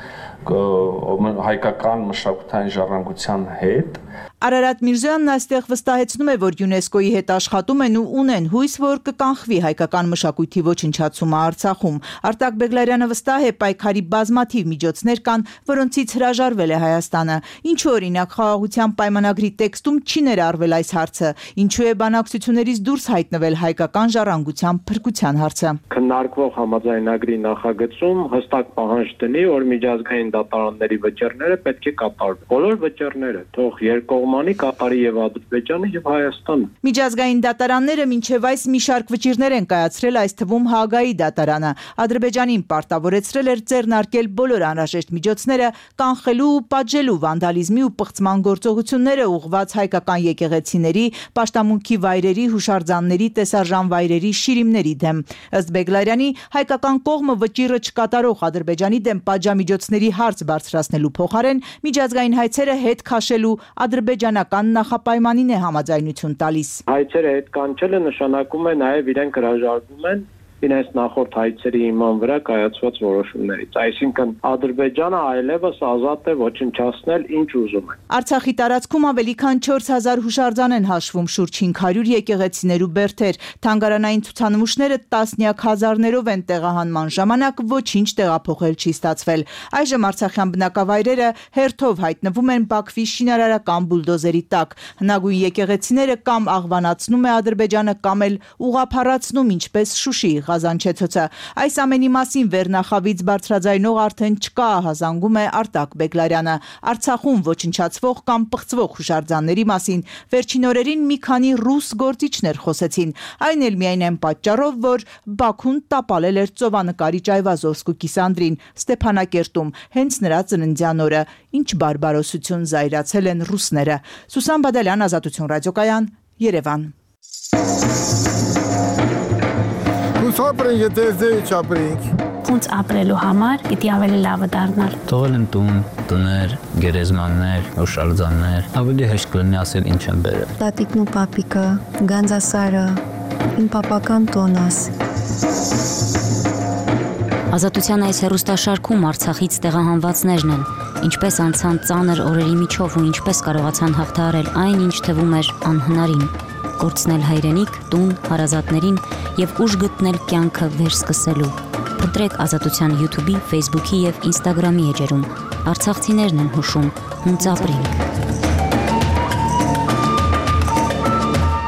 հայկական մշակութային ժառանգության հետ։ Արարատ Միրզոյանն այստեղ վստահեցնում է, որ ՅՈՒՆԵՍԿՕ-ի հետ աշխատում են ու ունեն հույս, որ կկանխվի հայկական մշակույթի ոչնչացումը Արցախում։ Արտակ Բեգլարյանը վստահ է, պայքարի բազմաթիվ միջոցներ կան, որոնցից հրաժարվել է Հայաստանը։ Ինչու օրինակ խաղաղության պայմանագրի տեքստում չի ներառվել այս հարցը, ինչու է բանակցություններից դուրս հայտնվել հայկական ժառանգության փրկության հարցը։ Քննարկվող համաձայնագրի նախագծում հստակ պահանջ դնի, որ միջազգային դատարանների վճիռները պետք է կատարվեն։ Բոլոր վճիռները, թող երկկողմանի կատարի եւ Ադրբեջանը եւ Հայաստանը։ Միջազգային դատարանները մինչև այս մի շարք վճիռներ են կայացրել, այս թվում Հաագայի դատարանը։ Ադրբեջանին պարտավորեցրել էր ձեռնարկել բոլոր անհրաժեշտ միջոցները կանխելու ու պատժելու վանդալիզմի ու պղծման գործողությունները ուղղված հայկական եկեղեցիների, պաշտամունքի վայրերի, հուշարձանների, տեսարժան վայրերի, շիրիմների դեմ։ Ըստ Բեգլարյանի, հայկական կողմը վճիռը չկատարող Ադրբեջանի դեմ պատժամիջոցների հարց բարձրացնելու փոխարեն միջազգային հայցերը հետ քաշելու ադրբեջանական նախապայմանին է համաձայնություն տալիս։ Հայցերը հետ կանչելը նշանակում է նաև իրենք հրաժարվում են իրենց նախորդ հայցերի հիման վրա կայացված որոշումներից։ Այսինքն Ադրբեջանը այլևս ազատ է ոչնչացնել ինչ ուզում է։ Արցախի տարածքում ավելի քան 4000 հուշարձան են հաշվում, շուրջ 500 եկեղեցիներ ու բերդեր։ Թանգարանային ցուցանմուշները տասնյակ հազարներով են տեղահանման ժամանակ ոչինչ տեղափոխել չի ստացվել։ Այժմ արցախյան բնակավայրերը հերթով հայտնվում են Բաքվի շինարարական բուլդոզերի տակ։ Հնագույն եկեղեցիները կամ աղվանացնում է Ադրբեջանը, կամ էլ ուղղափառացնում, ինչպես Շուշիի Ղազանչեցոցը։ Այս ամենի մասին վերնախավից բարձրաձայնող արդեն չկա, ահազանգում է Արտակ Բեգլարյանը։ Արցախում ոչնչացվող կամ պղծվող հուշարձանների մասին վերջին օրերին մի քանի ռուս գործիչներ խոսեցին։ Այն էլ միայն այն պատճառով, որ Բաքուն տապալել էր ծովանկարիչ Այվազովսկու Կիսանդրին Ստեփանակերտում հենց նրա ծննդյան օրը։ Ինչ բարբարոսություն զայրացել են ռուսները։ Սուսան Բադալյան, Ազատություն ռադիոկայան, Երևան։ Ապրենք, եթե ձեի չապրենք։ Ոնց ապրելու համար պիտի ավելի լավը դառնալ։ Թողել են տուն, տներ, գերեզմաններ, հուշարձաններ, ավելի հեշտ կլինի ասել ինչ են բերել։ Տատիկն ու պապիկը, Գանձասարը, իմ պապական տոնաս։ Ազատության այս հեռուստաշարքում Արցախից տեղահանվածներն են, ինչպես անցան ծանր օրերի միջով ու ինչպես կարողացան հաղթահարել այն, ինչ թվում էր անհնարին։ Կորցնել հայրենիք, տուն, հարազատներին եւ ուժ գտնել կյանքը վերսկսելու։ Փնտրեք Ազատության YouTube-ի, Facebook-ի եւ Instagram-ի էջերում։ Արցախցիներն են հուշում, ոնց ապրենք։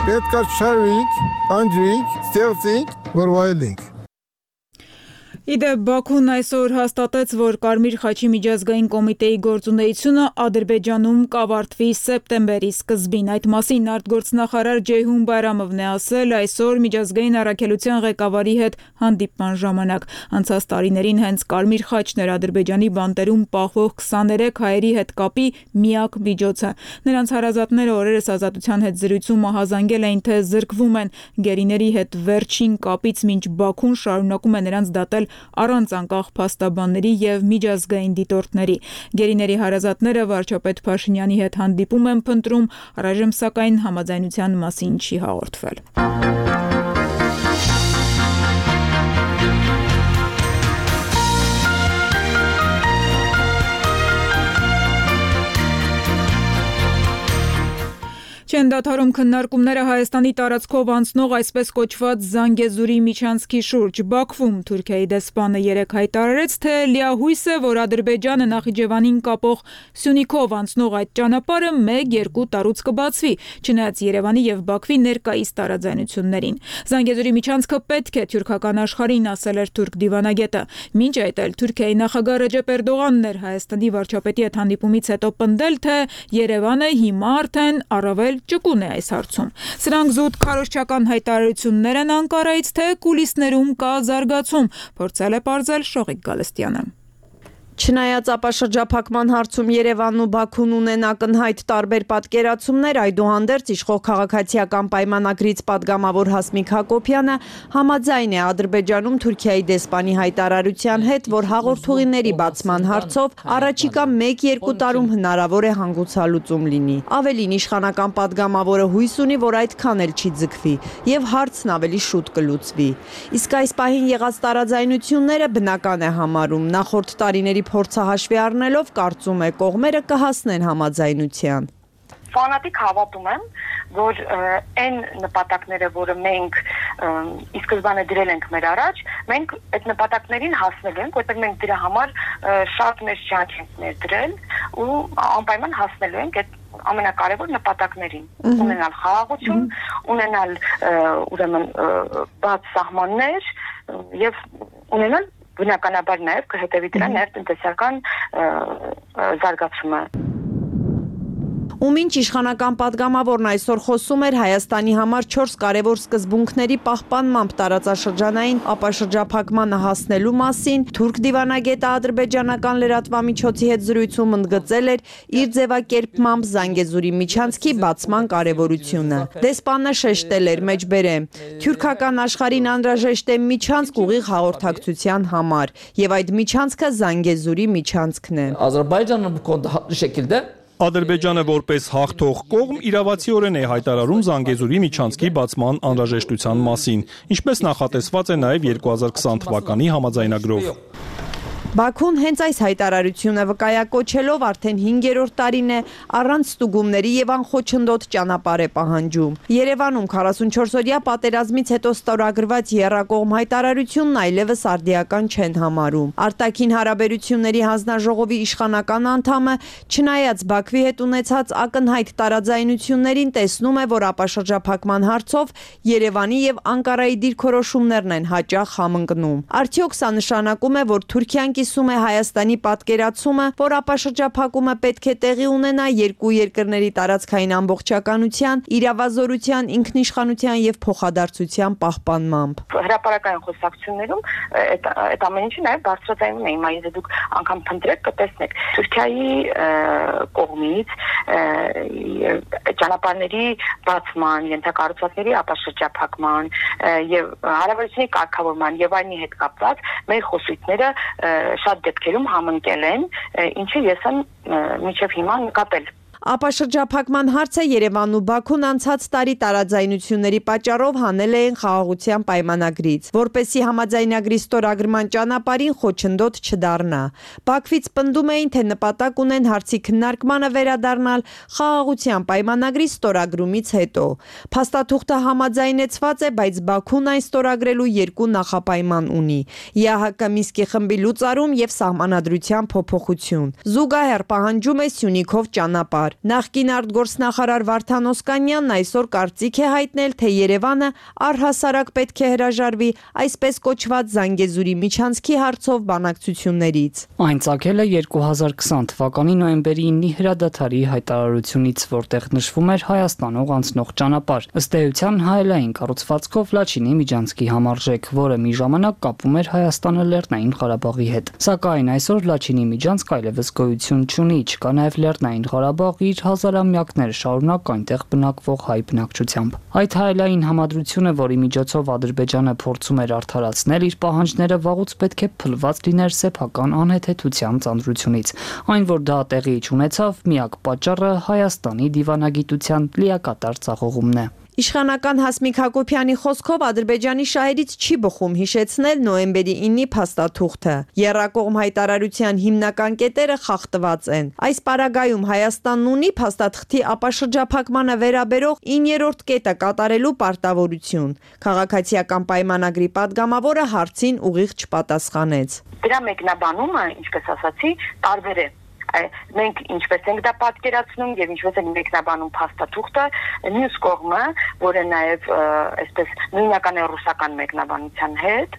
Պետք է շարվենք, անջրենք, ստեղծենք, որ վայելենք։ Իդեպ Բաքուն այսօր հաստատեց, որ Կարմիր խաչի միջազգային կոմիտեի գործունեությունը Ադրբեջանում կավարտվի սեպտեմբերի սկզբին։ Այդ մասին արտգործնախարար Ջեյհուն Բայրամովն է ասել այսօր միջազգային առաքելության ղեկավարի հետ հանդիպման ժամանակ։ Անցած տարիներին հենց Կարմիր խաչն էր Ադրբեջանի բանտերում պահվող 23 հայերի հետ կապի միակ միջոցը։ Նրանց հարազատները օրերս Ազատության հետ զրույցում ահազանգել էին, թե զրկվում են գերիների հետ վերջին կապից, մինչ Բաքուն շարունակում է նրանց դատել առանց անկախ փաստաբանների եւ միջազգային դիտորդների։ Գերիների հարազատները վարչապետ Փաշինյանի հետ հանդիպում են փնտրում, առայժմ սակայն համաձայնության մասին չի հաղորդվել։ Չեն դադարում քննարկումները Հայաստանի տարածքով անցնող այսպես կոչված Զանգեզուրի միջանցքի շուրջ։ Բաքվում Թուրքիայի դեսպանը երեկ հայտարարեց, թե լիահույս է, որ Ադրբեջանը Նախիջևանին կապող Սյունիքով անցնող այդ ճանապարհը 1-2 տարուց կբացվի, չնայած Երևանի եւ Բաքվի ներկայիս տարաձայնություններին։ Զանգեզուրի միջանցքը պետք է թուրքական աշխարհին, ասել էր թուրք դիվանագետը։ Մինչ այդ էլ Թուրքիայի նախագահ Ռեջեփ Էրդողանն էր Հայաստանի վարչապետի հետ հանդիպումից հետո պնդել, թե Երևանը հիմա արդեն առավել ճկուն է այս հարցում։ Սրանք զուտ քարոզչական հայտարարություններ են Անկարայից, թե կուլիսներում կա զարգացում, փորձել է պարզել Շողիկ Գալստյանը։ Չնայած ապաշրջափակման հարցում Երևանն ու Բաքուն ունեն ակնհայտ տարբեր պատկերացումներ, այդուհանդերձ իշխող քաղաքացիական պայմանագրից падգամավոր Հասմիկ Հակոբյանը համաձայն է Ադրբեջանում Թուրքիայի դեսպանի հայտարարության հետ, որ հաղորդուղիների բացման հարցով առաջիկա 1-2 տարում հնարավոր է հանգուցալուծում լինի։ Ավելին, իշխանական падգամավորը հույս ունի, որ այդքան էլ չի ձգվի եւ հարցն ավելի շուտ կլուծվի։ Իսկ այս պահին եղած տարաձայնությունները բնական է համարում։ Նախորդ տարիների փորձը հաշվի առնելով կարծում է կողմերը կհասնեն համաձայնության։ Ֆանատիկ հավատում եմ, որ այն նպատակները, որը մենք ի սկզբանե դրել ենք մեր առաջ, մենք այդ նպատակներին հասնելու ենք, որտեղ մենք դրա համար շատ մեծ ջանք ենք ներդրել ու անպայման հասնելու ենք այդ ամենակարևոր նպատակներին, ունենալ խաղաղություն, ունենալ ուրեմն բաց սահմաններ եւ ունենալ բնականաբար նաև կհետևի դրան նաև տնտեսական զարգացումը։ Ու մինչ իշխանական падգամավորն այսօր խոսում էր Հայաստանի համար 4 կարևոր սկզբունքների պահպանմամբ տարածաշրջանային ապաշրջափակմանը հասնելու մասին, թուրք դիվանագետը ադրբեջանական լրատվամիջոցի հետ զրույցում ընդգծել էր իր ձևակերպմամբ Զանգեզուրի միջանցքի բացման կարևորությունը։ Դեսպանը շեշտել էր, մեջբերեմ, թուրքական աշխարհին անհրաժեշտ է միջանցք ուղիղ հաղորդակցության համար, եւ այդ միջանցքը Զանգեզուրի միջանցքն է։ Ադրբեջանը Ադրբեջանը որպես հաղթող կողմ իրավացիորեն է հայտարարում Զանգեզուրի միջանցքի բացման անհրաժեշտության մասին, ինչպես նախատեսված է նաև 2020 թվականի համաձայնագրով։ Բաքուն հենց այս հայտարարությունը վկայակոչելով արդեն 5-րդ տարին է առանց ստուգումների եւ անխոչնդոտ ճանապարհ է պահանջում։ Երևանում 44-օրյա պատերազմից հետո ստորագրված եռակողմ հայտարարությունն այլևս արդիական չեն համարում։ Արտաքին հարաբերությունների հանձնաժողովի իշխանական անդամը, չնայած Բաքվի հետ ունեցած ակնհայտ տարաձայնություններին, տեսնում է, որ ապաշրջափակման հարցով Երևանի եւ Անկարայի դիրքորոշումներն են հաճախ համընկնում։ Արդյոք սա նշանակում է, որ Թուրքիան կիսում է Հայաստանի պատկերացումը, որ ապաշրջափակումը պետք է տեղի ունենա երկու երկրների տարածքային ամբողջականության, իրավազորության, ինքնիշխանության եւ փոխադարձության պահպանմամբ։ Հրապարակային խոսակցություններում այդ ամեն ինչը նաեւ բարձրացնում է, հիմա եթե դուք անգամ փնտրեք կտեսնեք Թուրքիայի կողմից ճանապարհների բացման, ենթակառուցվածքների ապաշրջափակման եւ հարաբերությունների կարգավորման եւ այլնի հետ կապված մեր խոսույթները շատ դեպքերում համընկել են, ինչը ես եմ մինչև հիմա նկատել։ Ապաշրջափակման հարցը Երևանն ու Բաքուն անցած տարի տարաձայնությունների պատճառով հանել էին խաղաղության պայմանագրից, որպեսզի համաձայնագրի ստորագրման ճանապարհին խոչընդոտ չդառնա։ Բաքվից պնդում էին, թե նպատակ ունեն հարցի քննարկմանը վերադառնալ խաղաղության պայմանագրի ստորագրումից հետո։ Փաստաթուղթը համաձայնեցված է, բայց Բաքուն այն ստորագրելու երկու նախապայման ունի՝ ԵԱՀԿ Մինսկի խմբի լուծարում եւ սահմանադրության փոփոխություն։ Զուգահեռ պահանջում է Սյունիքով ճանապարհ։ Նախկին արտգործնախարար Վարդան Օսկանյանն այսօր կարծիք է հայտնել, թե Երևանը առհասարակ պետք է հրաժարվի այսպես կոչված Զանգեզուրի միջանցքի հարցով բանակցություններից։ Այն ծագել է 2020 թվականի նոյեմբերի 9-ի հրադադարի հայտարարությունից, որտեղ նշվում էր Հայաստանով անցնող ճանապարհ։ Ըստ էության հայելային կառուցվածքով Լաչինի միջանցքի համարժեք, որը մի ժամանակ կապում էր Հայաստանը Լեռնային Ղարաբաղի հետ։ Սակայն այսօր Լաչինի միջանցք այլևս գոյություն չունի, չկա նաև Լեռնային Ղարաբաղ թող իր հազարամյակներ շարունակ այնտեղ բնակվող հայ բնակչությամբ։ Այդ հայելային համադրությունը, որի միջոցով Ադրբեջանը փորձում էր արդարացնել իր պահանջները, վաղուց պետք է փլված լիներ սեփական անհեթեթության ծանրությունից։ Այն, որ դա տեղի չունեցավ, միակ պատճառը Հայաստանի դիվանագիտության լիակատար ձախողումն է։ Իշխանական Հասմիկ Հակոբյանի խոսքով Ադրբեջանի շահերից չի բխում հիշեցնել նոյեմբերի 9-ի փաստաթուղթը։ Եռակողմ հայտարարության հիմնական կետերը խախտված են։ Այս պարագայում Հայաստանն ունի փաստաթղթի ապաշրջափակմանը վերաբերող 9-րդ կետը կատարելու պարտավորություն։ Քաղաքացիական պայմանագրի падգամավորը հարցին ուղիղ չպատասխանեց։ Դրա մեկնաբանումը, ինչպես ասացի, տարբեր է։ Մենք ինչպես ենք դա պատկերացնում եւ ինչպես ենք մեկնաբանում փաստաթուղթը, մյուս կողմը, որը նաեւ այսպես նույնական է ռուսական մեկնաբանության հետ,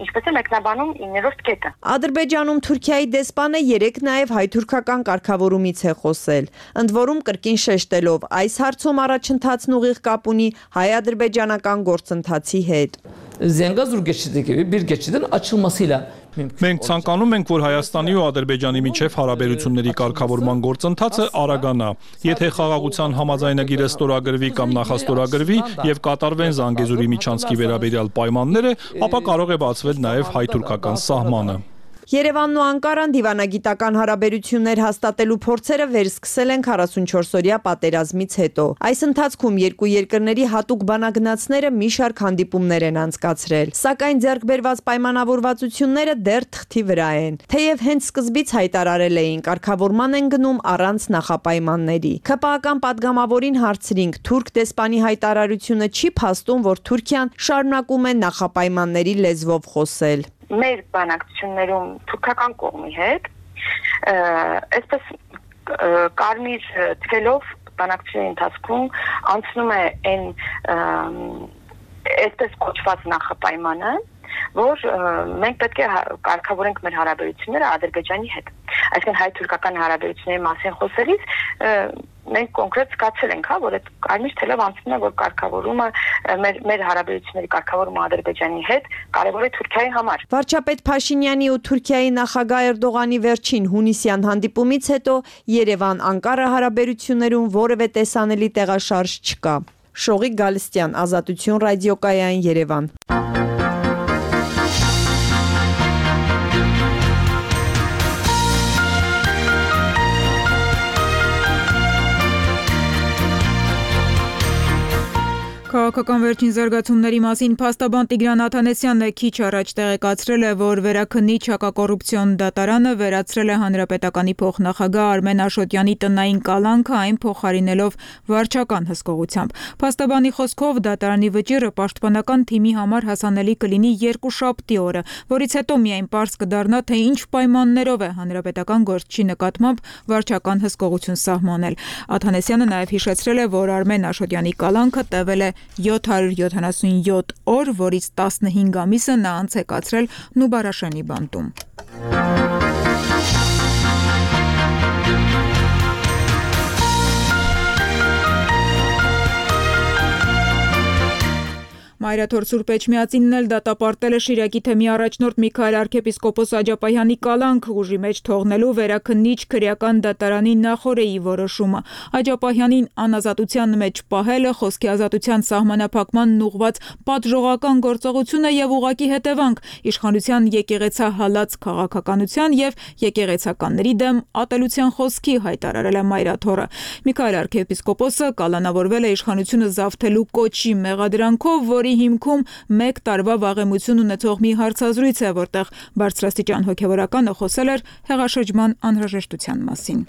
ինչպես է մեկնաբանում 9-րդ կետը։ Ադրբեջանում Թուրքիայի դեսպանը երեք նաեւ հայ-թուրքական կարգավորումից է խոսել, ընդ որում կրկին շեշտելով այս հարցում առաջընթացն ուղիղ կապ ունի հայ-ադրբեջանական գործընթացի հետ։ Zengazur geçidi gibi bir geçidin açılmasıyla Մենք ցանկանում ենք, որ Հայաստանի ու Ադրբեջանի միջև հարաբերությունների կարգավորման գործընթացը արագանա։ Եթե խաղաղության համաձայնագիրը ստորագրվի կամ նախաստորագրվի եւ կատարվեն Զանգեզուրի միջանցքի վերաբերյալ պայմանները, ապա կարող է բացվել նաեւ հայ-թուրքական սահմանը։ Երևանն ու Անկարան դիվանագիտական հարաբերություններ հաստատելու փորձերը վերսկսել են 44-օրյա պատերազմից հետո։ Այս ընթացքում երկու երկրների հատուկ բանագնացները մի շարք հանդիպումներ են անցկացրել, սակայն ձեռքբերված պայմանավորվածությունները դեռ թղթի վրա են։ Թեև հենց սկզբից հայտարարել էին, կարգավորման են գնում առանց նախապայմանների։ ՔՊԱ-ական падգամավորին հարցրինք, թուրք դեսպանի հայտարարությունը չի փաստում, որ Թուրքիան շարունակում է նախապայմանների լեզվով խոսել։ Մեր բանակցություններում թուրքական կողմի հետ այսպես կարմիր թվելով բանակցությունների ընթացքում անցնում է այն այսպես կոչված նախապայմանը, որ մենք պետք է կարգավորենք մեր հարաբերությունները Ադրբեջանի հետ։ Այսինքն հայ-թուրքական հարաբերությունների մասին խոսելիս մենք կոնկրետ զգացել ենք, որ այդ կարմիր թելով անցնում է, որ կարգավորումը մեր հարաբերությունների կարգավորումը Ադրբեջանի հետ կարևոր է Թուրքիայի համար։ Վարչապետ Փաշինյանի ու Թուրքիայի նախագահ Էրդողանի վերջին հունիսյան հանդիպումից հետո Երևան-Անկարա հարաբերություններում որևէ տեսանելի տեղաշարժ չկա։ Շողիկ Գալստյան, Ազատություն ռադիոկայան, Երևան։ Քաղաքական վերջին զարգացումների մասին փաստաբան Տիգրան Աթանեսյանն է քիչ առաջ տեղեկացրել է, որ Վերաքննիչ հակակոռուպցիոն դատարանը վերացրել է հանրապետականի փոխնախագահ Արմեն Աշոտյանի տնային կալանքը, այն փոխարինելով վարչական հսկողությամբ։ Փաստաբանի խոսքով դատարանի վճիռը պաշտպանական թիմի համար հասանելի կլինի երկուշաբթի օրը, որից հետո միայն պարզ կդառնա, թե ինչ պայմաններով է հանրապետական գործչի նկատմամբ վարչական հսկողություն սահմանել։ Աթանեսյանը նաև հիշեցրել է, որ Արմեն Աշոտյանի կալանքը տևել է 777 օր, որից 15 ամիսը նա անց է կացրել Նուբարաշենի բանտում։ Մայրաթոր Սուրբ Էջմիածինն էլ դատապարտել է Շիրակի թեմի առաջնորդ Միքայել arczepiskopos Աջապահյանի կալանքը ուժի մեջ թողնելու Վերաքննիչ քրեական դատարանի նախօրեի որոշումը։ Աջապահյանին անազատության մեջ պահելը, խոսքի ազատության սահմանափակմանն ուղղված պատժողական գործողություն է եւ ուղղակի հետևանք իշխանության եկեղեցահալած քաղաքականության եւ եկեղեցականների դեմ ատելության խոսքի, հայտարարել է Մայրաթորը։ Միքայել arczepiskoposը կալանավորվել է իշխանությունը զավթելու կոչի մեղադրանքով, որի հիմքում 1 տարվա վաղեմություն ունեցող մի հարցազրույց է, որտեղ բարձրաստիճան հոգևորականը խոսել էր հեղաշրջման անհրաժեշտության մասին։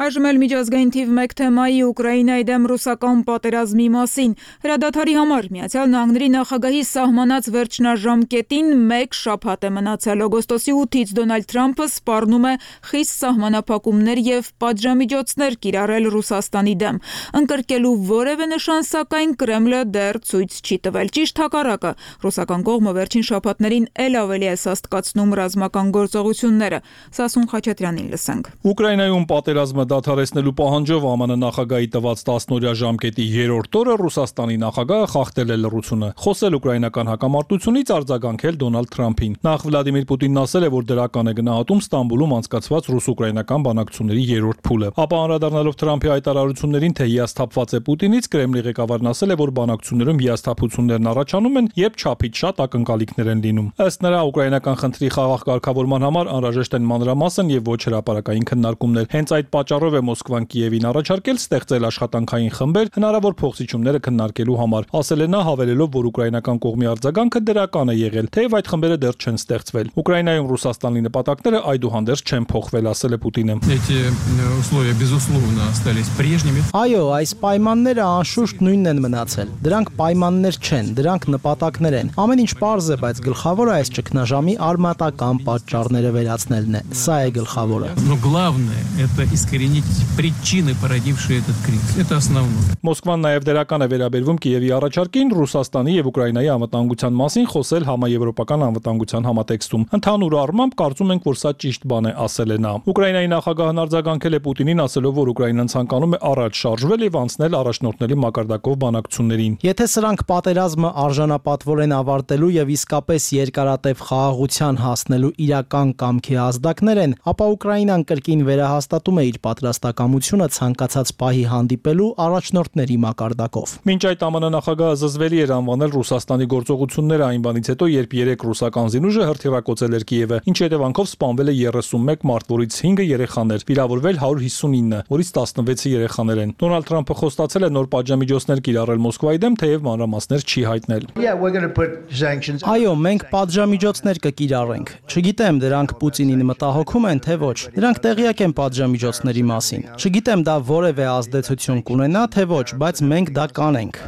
Այժմ էլ միջազգային թիվ 1 թեմայի Ուկրաինայի դեմ ռուսական պատերազմի մասին։ Հրադադարի համար Միացյալ Նահանգների նախագահի սահմանած վերջնաժամկետին 1 շաբաթ է մնացել։ Օգոստոսի 8-ից Դոնալդ Թրամփը սպառնում է խիստ սահմանափակումներ եւ պատժամիջոցներ կիրառել Ռուսաստանի դեմ։ Ընկրկելու որևէ նշան, սակայն Կրեմլը դեռ ցույց չի տվել։ Ճիշտ հակառակը, ռուսական կողմը վերջին շաբաթներին ել ավելի է սաստկացնում ռազմական գործողությունները։ Սասուն Խաչատրյանին լսենք։ Ուկրաինայում պատերազմը դադարեցնելու պահանջով ԱՄՆ նախագահի տված 10-օրյա ժամկետի 3-րդ օրը Ռուսաստանի նախագահը խախտել է լռությունը, խոսել ուկրաինական հակամարտությունից, արձագանքել Դոնալդ Թրամփին։ Նախ Վլադիմիր Պուտինն ասել է, որ դրական է գնահատում Ստամբուլում անցկացված ռուս-ուկրաինական բանակցությունների 3-րդ փուլը։ Ապա անդրադառնալով Թրամփի հայտարարություններին, թե հիասթափված է Պուտինից, Կրեմլի ղեկավարն ասել է, որ բանակցություններում հիասթափություններն առաջանում են, երբ չափից շատ ակնկալիքներ են լինում։ Ըստ նրա, ուկրաինական խնդրի խաղաղ կարգավորման համար անհրաժեշտ են մանրամասն եւ ոչ հրապարակային քննարկումներ։ Հենց այդ պատճառով է Մոսկվան Կիևին առաջարկել ստեղծել աշխատանքային խմբեր հնարավոր փոխզիջումները քննարկելու համար։ Ասել է նա, հավելելով, որ ուկրաինական կողմի արձագանքը դրական է եղել, թեև այդ խմբերը դեռ չեն ստեղծվել։ Ուկրաինայում Ռուսաստանի նպատակները այդուհանդերձ չեն փոխվել, ասել է Պուտինը։ Այո, այս պայմանները անշուշտ նույնն են մնացել։ Դրանք պայմաններ չեն, դրանք նպատակներ են։ Ամեն ինչ պարզ է, բայց գլխավորը այս ճգնաժամի արմատական պատճառները վերացնելն է։ Սա է գլխավորը։ Մոսկվան նաև դրական է վերաբերվում Կիևի առաջարկին Ռուսաստանի եւ Ուկրաինայի անվտանգության մասին խոսել համաեվրոպական անվտանգության համատեքստում։ Ընդհանուր առմամբ կարծում ենք, որ սա ճիշտ բան է, ասել է նա։ Ուկրաինայի նախագահն արձագանքել է Պուտինին, ասելով, որ Ուկրաինան ցանկանում է առաջ շարժվել եւ անցնել առաջնորդների մակարդակով բանակցություններին։ Եթե սրանք պատերազմը արժանապատվորեն ավարտելու եւ իսկապես երկարատև խաղաղության հասնելու իրական կամքի ազդակներ են, ապա Ուկրաինան կրկին վերահաստատում է իր պատրաստակամությունը ցանկացած պահի հանդիպելու առաջնորդների մակարդակով։ Մինչ այդ ԱՄՆ նախագահը զզվելի էր անվանել Ռուսաստանի գործողությունները այն բանից հետո, երբ 3 ռուսական զինուժը հրթիռակոծել էր Կիևը, ինչի հետևանքով սպանվել է 31 մարդ, որից 5-ը երեխաներ, վիրավորվել 159, որից 16-ը երեխաներ են։ Դոնալդ Թրամփը խոստացել է նոր պատժամիջոցներ կիրառել Մոսկվայի դեմ, թեև մանրամասներ չի հայտնել։ Այո, մենք պատժամիջոցներ կկիրառենք։ Չգիտեմ, դրանք Պուտինին մտահոգում են, թե ոչ։ Նրանք տեղյակ են պատժամիջոցների մասին։ Չգիտեմ, դա որևէ ազդեցություն կունենա, թե ոչ, բայց մենք դա կանենք։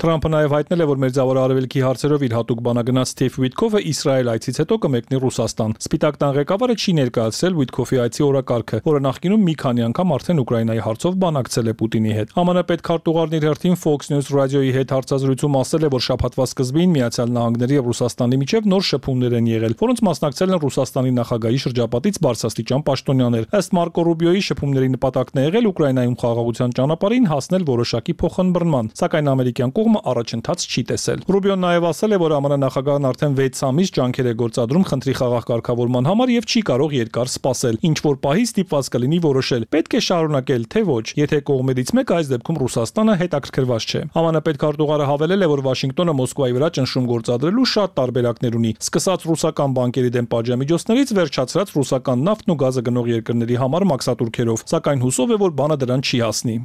Թրամփը նաև հայտնել է, որ Մերձավոր Արևելքի հարցերով իր հատուկ բանագնաց Սթիվ Ուիտքոֆը Իսրայել այցից հետո կմեկնի Ռուսաստան։ Սպիտակ տան ղեկավարը չի ներկայացրել Ուիտքոֆի այցի օրակարգը, որը նախկինում մի քանի անգամ արդեն Ուկրաինայի հարցով բանակցել է Պուտինի հետ։ ԱՄՆ պետքարտուղարն իր հերթին Fox News ռադիոյի հետ հարցազրույցում ասել է, որ շաբաթվա սկզբին Միացյալ Նահանգների եւ Ռուսաստանի միջև նոր շփումներ են եղել, որոնց մասնակցել են Ռուսաստանի նախագահի շրջապատից բարձրաստիճան պաշտոնյաներ։ Ըստ Մարկո Ռուբիոյի, շփումների նպատակն է եղել Ուկրաինայում խաղաղության ճանապարհին հասնել որոշակի փոխըմբռնման, սակայն ամերիկյան կողմը առաջընթաց չի տեսել։ Ռուբիոն նաև ասել է, որ ԱՄՆ նախագահն արդեն 6 ամիս ջանքեր է գործադրում խնդրի խաղաղ կարգավորման համար եւ չի կարող երկար սպասել, ինչ որ պահի ստիպված կլինի որոշել՝ պետք է շարունակել, թե ոչ, եթե կողմերից մեկը, այս դեպքում Ռուսաստանը, հետաքրքրված չէ։ ԱՄՆ պետքարտուղարը հավելել է, որ Վաշինգտոնը Մոսկվայի վրա ճնշում գործադրելու շատ տարբերակներ ունի, սկսած ռուսական բանկերի դեմ պատժամիջոցներից, վերջացրած ռուսական նավթն ու գազը գնող երկրների համար մաքսատուրքերով, սակայն հուսով է, որ բանը դրան չի հասնի։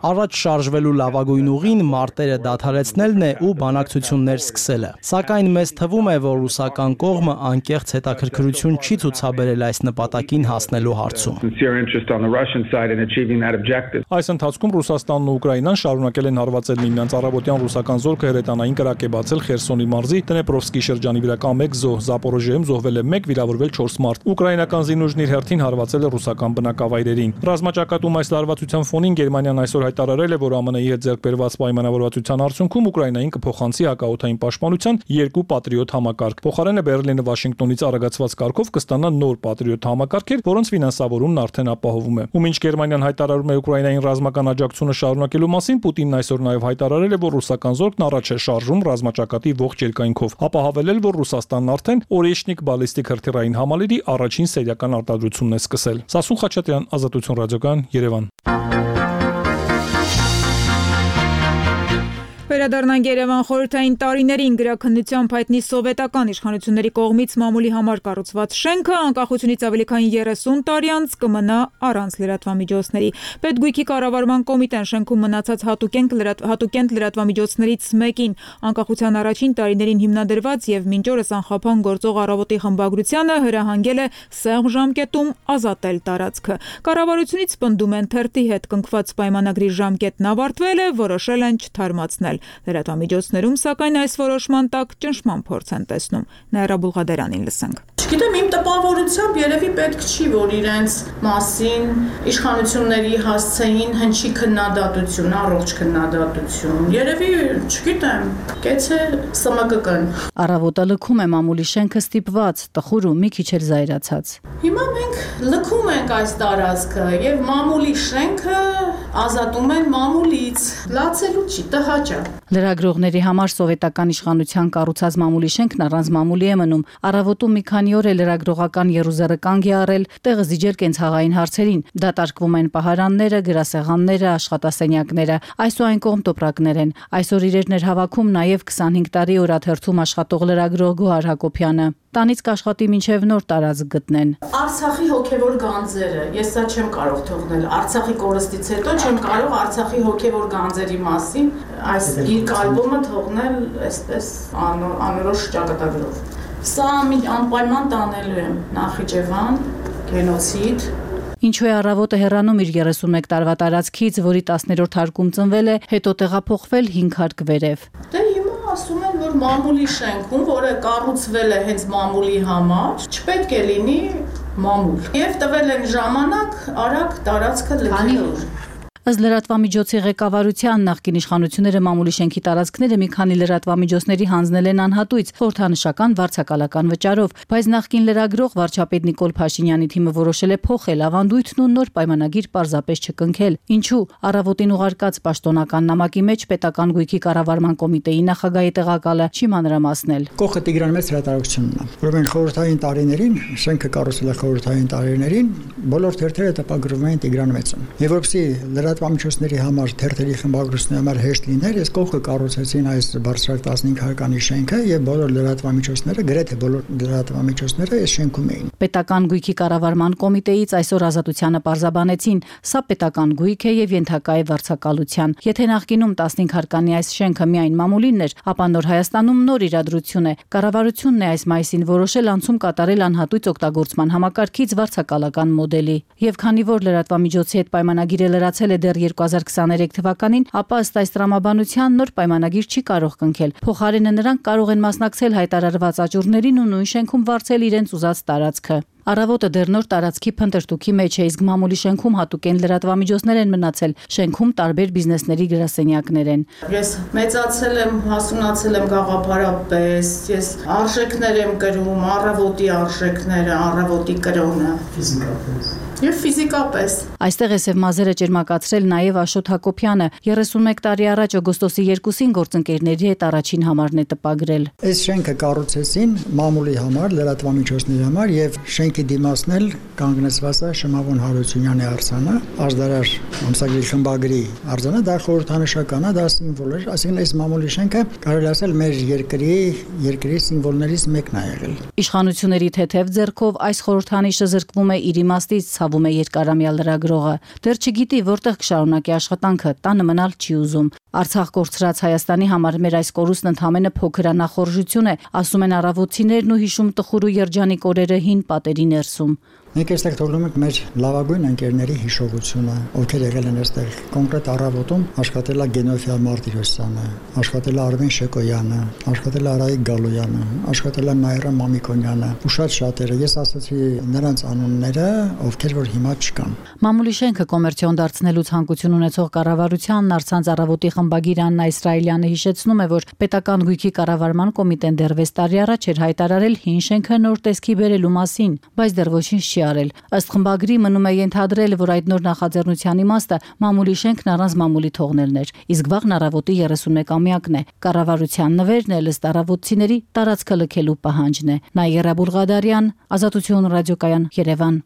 Առաջ շարժվելու լավագույն ուղին մարտերը դադարեցնելն է ու բանակցություններ սկսելը։ Սակայն մեզ թվում է, որ ռուսական կողմը անկեղծ հետաքրքրություն չի ցուցաբերել այս նպատակին հասնելու հարցում։ Այս ընթացքում Ռուսաստանն ու Ուկրաինան շարունակել են հարվածել միմյանց առավոտյան ռուսական զորքը հրետանային կրակ է բացել Խերսոնի մարզի Դնեպրովսկի շրջանի վրա մեկ զոհ, Զապորոժիայում զոհվել է 1, վիրավորվել 4 մարդ։ Ուկրաինական զինուժն իր հերթին հարվածել է ռուսական բնակավայրերին։ Ռազմաճակատում այս լարվածության ֆոնին Գերմանիան այսօր հայտարարել է, որ ԱՄՆ-ի հետ ձեռք բերված պայմանավորվածության արդյունքում Ուկրաինային կփոխանցի հակաօդային պաշտպանության 2 Պատրիոտ համակարգ։ Փոխարենը Բերլինը Վաշինգտոնից արագացված կարգով կստանա նոր Պատրիոտ համակարգեր, որոնց ֆինանսավորումն արդեն ապահովում է։ Ու մինչ Գերմանիան հայտարարում է Ուկրաինային ռազմական աջակցությունը շարունակելու մասին, Պուտինն այսօր նաև հայտարարել է, որ ռուսական զորքն առաջ է շարժում ռազմաճակատի ողջ երկայնքով, ապա հավելել, որ Ռուսաստանն արդեն Օրեշնիկ բալիստիկ հրթիռային համալիրի առաջին սերիական արտադրությունն է սկսել։ Սասուն Խաչատրյան, Ազատություն ռադիոկայան, Երևան։ Վերադառնանք Երևան խորհրդային տարիներին գրաքննությամբ հայտնի սովետական իշխանությունների կողմից մամուլի համար կառուցված շենքը անկախությունից ավելի քան 30 տարի անց կմնա առանց լրատվամիջոցների։ Պետգույքի կառավարման կոմիտեն շենքում մնացած հատուկենտ լրատվամիջոցներից մեկին անկախության առաջին տարիներին հիմնադրված եւ մինչ օրս անխափան գործող առավոտի խմբագրությանը հրահանգել է սեղմ ժամկետում ազատել տարածքը։ Կառավարությունից պնդում են թերթի հետ կնքված պայմանագրի ժամկետն ավարտվել է, որոշել են չթարմացնել։ Լրատվամիջոցներում, սակայն այս որոշման տակ ճնշման փորձ են տեսնում։ Նաիրա Բուլղադերանին լսենք։ Չգիտեմ, իմ տպավորությամբ երևի պետք չի, որ իրենց մասին իշխանությունների հասցեին հնչի քննադատություն, առողջ քննադատություն։ Երևի, չգիտեմ, կեցե ՍՄԿԿ-ն։ Առավոտը լքում է մամուլի շենքը ստիպված, տխուր ու մի քիչ էլ զայրացած։ Հիմա մենք լքում ենք այս տարածքը եւ մամուլի շենքը ազատում են մամուլից։ Լացելու չի, տհաճա։ Լրագրողների համար սովետական իշխանության կառուցած մամուլի շենքն առանց մամուլի է մնում։ Առավոտում մի քանի օր է լրագրողական եռուզեռը կանգ է առել, տեղը զիջել կենցաղային հարցերին։ Դատարկվում են պահարանները, գրասեղանները, աշխատասենյակները, այս ու այն կողմ տոպրակներ են։ Այսօր իրերն էր հավաքում նաև 25 տարի օրաթերթում աշխատող լրագրող Գոհար Հակոբյանը։ Տանից կաշխատի մինչև նոր տարածք գտնեն։ Արցախի հոգևոր գանձերը, ես սա չեմ կարող թողնել։ Արցախի կորստից հետո չեմ կարող Արցախի հոգևոր գանձերի մասին այս գիրք ալբոմը թողնել այսպես անորոշ ճակատագրով։ Սա անպայման տանելու եմ Նախիջևան, գենոցիդ։ Ինչու է առավոտը հեռանում իր 31 տարվա տարածքից, որի 10-րդ հարկում ծնվել է, հետո տեղափոխվել 5 հարկ վերև։ Դե հիմա ասում են, որ մամուլի շենքում, որը կառուցվել է հենց մամուլի համար, չպետք է լինի մամուլ։ Եվ տվել են ժամանակ արագ տարածքը լքելու։ Ըստ լրատվամիջոցի ղեկավարության նախկին իշխանությունները մամուլի շենքի տարածքները մի քանի լրատվամիջոցների հանձնել են անհատույց խորհրդանշական վարձակալական վճարով, բայց նախկին լրագրող վարչապետ Նիկոլ Փաշինյանի թիմը որոշել է փոխել ավանդույթն ու նոր պայմանագիր պարզապես չկնքել։ Ինչու? Առավոտին ուղարկած պաշտոնական նամակի մեջ պետական գույքի կառավարման կոմիտեի նախագահի տեղակալը չի մանրամասնել։ Կողքը Տիգրան Մեծ հրատարակությունն է, որովհետեւ խորհրդային տարիներին շենքը կառուցվել է խորհրդային տարիներին, բոլոր թերթերը տպագրվում են Տիգրան Մեծին։ Եվ որպեսզի լրատվամիջոցների համար թերթերի խմբագրությունների համար հեշտ լիներ, այս կողքը կառուցեցին այս բարձրակ 15 հարկանի շենքը եւ բոլոր լրատվամիջոցները, գրեթե բոլոր լրատվամիջոցները այս շենքում էին։ Պետական գույքի կառավարման կոմիտեից այսօր Ազատությանը պարզաբանեցին, սա պետական գույք է եւ ենթակա է վարձակալության։ Եթե նախկինում 15 հարկանի այս շենքը միայն մամուլին էր, ապա Նոր Հայաստանում նոր իրադրություն է։ Կառավարությունն է այս մայիսին որոշել անցում կատարել անհատույց օգտագործման համակարգից վարձակալական մոդելի։ Եվ քանի որ լրատվամիջոցի հետ պայմանագիրը լրացել է դեռ 2023 թվականին, ապա ըստ այս տրամաբանության նոր պայմանագիր չի կարող կնքել։ Փոխարենը նրանք կարող են մասնակցել հայտարարված աճուրներին ու նույն շենքում վարձել իրենց ուզած տարածքը։ Առավոտը դեռ նոր տարածքի փնտրտուքի մեջ է, իսկ մամուլի շենքում հատուկեն լրատվամիջոցներ են մնացել։ Շենքում տարբեր բիզնեսների գրասենյակներ են։ Ես մեծացել եմ, հասունացել եմ գաղափարապես, ես արժեքներ եմ կրում, առավոտի արժեքները, առավոտի կրոնը, ֆիզիկապես։ Եվ ֆիզիկապես։ Այստեղ է Սև մազերը ճերմակացրել նաև Աշոտ Հակոբյանը, 31 տարի առաջ օգոստոսի 2-ին գործընկերների հետ առաջին համարն է տպագրել։ Այս շենքը կառուցեցին մամուլի համար, լրատվամիջոցների համար եւ շենքի դիմացն էլ կանգնեցված է Շմավոն Հարությունյանի արձանը, Աշդարար ամսագրի խմբագրի արձանը, դա խորհրդանշական է, դա սիմվոլ է, այսինքն այս մամուլի շենքը կարելի ասել մեր երկրի սիմվոլներից մեկն է եղել։ Իշխանությունների թեթև ձեռքով այս խորհրդանիշը զրկվում է իր իմաստից, ցավում է երկարամյա լրագրողը։ Դեռ չգիտի որտեղ կշարունակի աշխատանքը, տանը մնալ չի ուզում։ Արցախ կորցրած Հայաստանի համար մեր այս կորուստն ընդհանրապես փոքր անախորժություն է, ասում են առավոտցիներն ու հիշում տխուր ու երջանիկ օրերը հին պատերի ներսում։ Մենք այստեղ թողնում ենք մեր լավագույն ընկերների հիշողությունը, ովքեր եղել են այստեղ։ Կոնկրետ առավոտում աշխատել է Գենոֆիա Մարտիրոսյանը, աշխատել է Արմեն Շեկոյանը, աշխատել է Արայիկ Գալոյանը, աշխատել է Նաիրա Մամիկոնյանը, ու շատերը։ Ես ասացի նրանց անունները, ովքեր որ հիմա չկան։ Մամուլի շենքը կոմերցիոն դարձնելու ցանկություն ունեցող կառավարությանն առցանց առավոտի խմբագիր Աննա Իսրայելյանը հիշեցնում է, որ պետական գույքի կառավարման կոմիտեն դեռ 6 տարի առաջ էր հայտարարել հին շենքը նոր տեսքի բերելու մասին, բայց դեռ ոչինչ չի արել։ Ըստ խմբագրի մնում է ենթադրել, որ այդ նոր նախաձեռնության իմաստը մամուլի շենքն առանց մամուլի թողնելն էր, իսկ վաղն առավոտի 31-ամյակն է։ Կառավարության նվերն էլ ըստ առավոտցիների տարածքը լքելու պահանջն է։ Նաիրա Բուլղադարյան, Ազատություն ռադիոկայան, Երևան։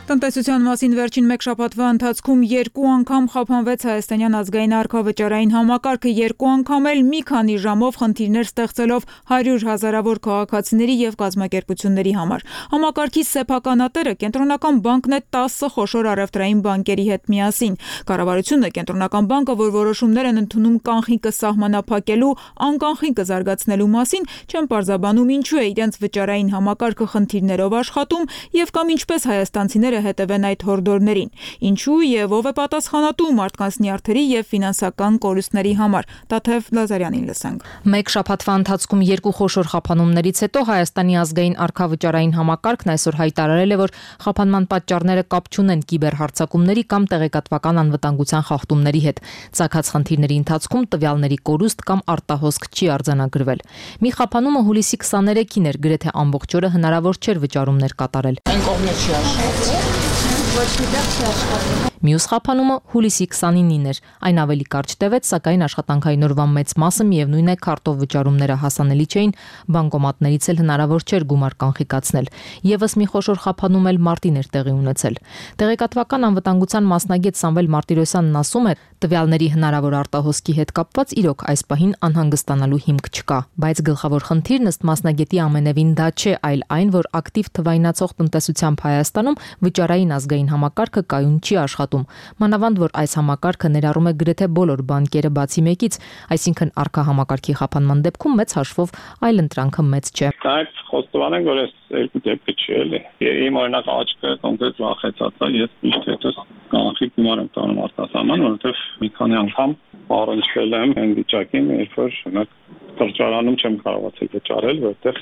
Տնտեսության մասին վերջին մեկ շաբաթվա ընթացքում 2 անգամ խափանվեց Հայաստանյան ազգային արքավճարային համակարգը, 2 անգամ էլ մի քանի ժամով խնդիրներ ստեղծելով 100 հազարավոր քաղաքացիների եւ կազմակերպությունների համար։ Համակարգի սեփականատերը կենտրոնական բանկն է 10 խոշոր առևտրային բանկերի հետ միասին։ Կառավարությունը կենտրոնական բանկը, որ որոշումներ են ընդունում կանխիկը սահմանափակելու, անկանխիկը զարգացնելու մասին, չեն պարզաբանում ինչու է իրենց վճարային համակարգը խնդիրներով աշխատում եւ կամ ինչպես հայաստանցիները հետևեն այդ հորդորներին։ Ինչու եւ ով է պատասխանատու մարդկանց նյարդերի եւ ֆինանսական կորուստների համար։ Տաթև Լազարյանին լսենք։ Մեկ շաբաթվա ընթացքում երկու խոշոր խափանումներից հետո Հայաստանի ազգային արքավճարային համակարգն այսօր հայտարարել է, որ խափանման պատճառները կապ չունեն կիբերհարձակումների կամ տեղեկատվական անվտանգության խախտումների հետ։ Ծագած խնդիրների ընթացքում տվյալների կորուստ կամ արտահոսք չի արձանագրվել։ Մի խափանումը հուլիսի 23-ին էր, գրեթե ամբողջ օրը հնարավոր չէր վճարումներ կատարել։ Այն կողմը չի աշխատել։ Ոչ մի տեղ չի աշխատել։ Մյուս խափանումը հուլիսի 29-ին էր։ Այն ավելի կարճ տևեց, սակայն աշխատանքային օրվա մեծ մասը միևնույն է քարտով վճարումները հասանելի չէին, բանկոմատներից էլ հնարավոր չէր գումար կանխիկացնել։ Եվս մի խոշոր խափանում էլ մարտին էր տեղի ունեցել։ Տեղեկատվական անվտանգության մասնագետ Սամվել Մարտիրոսյանն ասում է, տվյալների հնարավոր արտահոսքի հետ կապված իրոք այս պահին անհանգստանալու հիմք չկա, բայց գլխավոր խնդիրն ըստ մասնագետի ամենևին դա չէ, այլ այն, որ ակտիվ թվայնացող տնտեսությամբ Հայաստանում վճարային ազգային համակարգը կայուն չի աշխատում։ Մանավանդ որ այս համակարգը ներառում է գրեթե բոլոր բանկերը բացի մեկից, այսինքն արքա համակարգի խափանման դեպքում մեծ հաշվով այլ ընտրանքը մեծ չէ։ Այդ խոստովանենք, որ այս երկու դեպքը չի էլի։ Իմ օրինակ աչքը կոնկրետ վախեցած է, ես միշտ հետս կանխիկ գումար եմ տանում արտասահման, որովհետև մի քանի անգամ առնչվել եմ այն վիճակին, երբ որ օրինակ սրճարանում չեմ կարողացել վճարել, որովհետև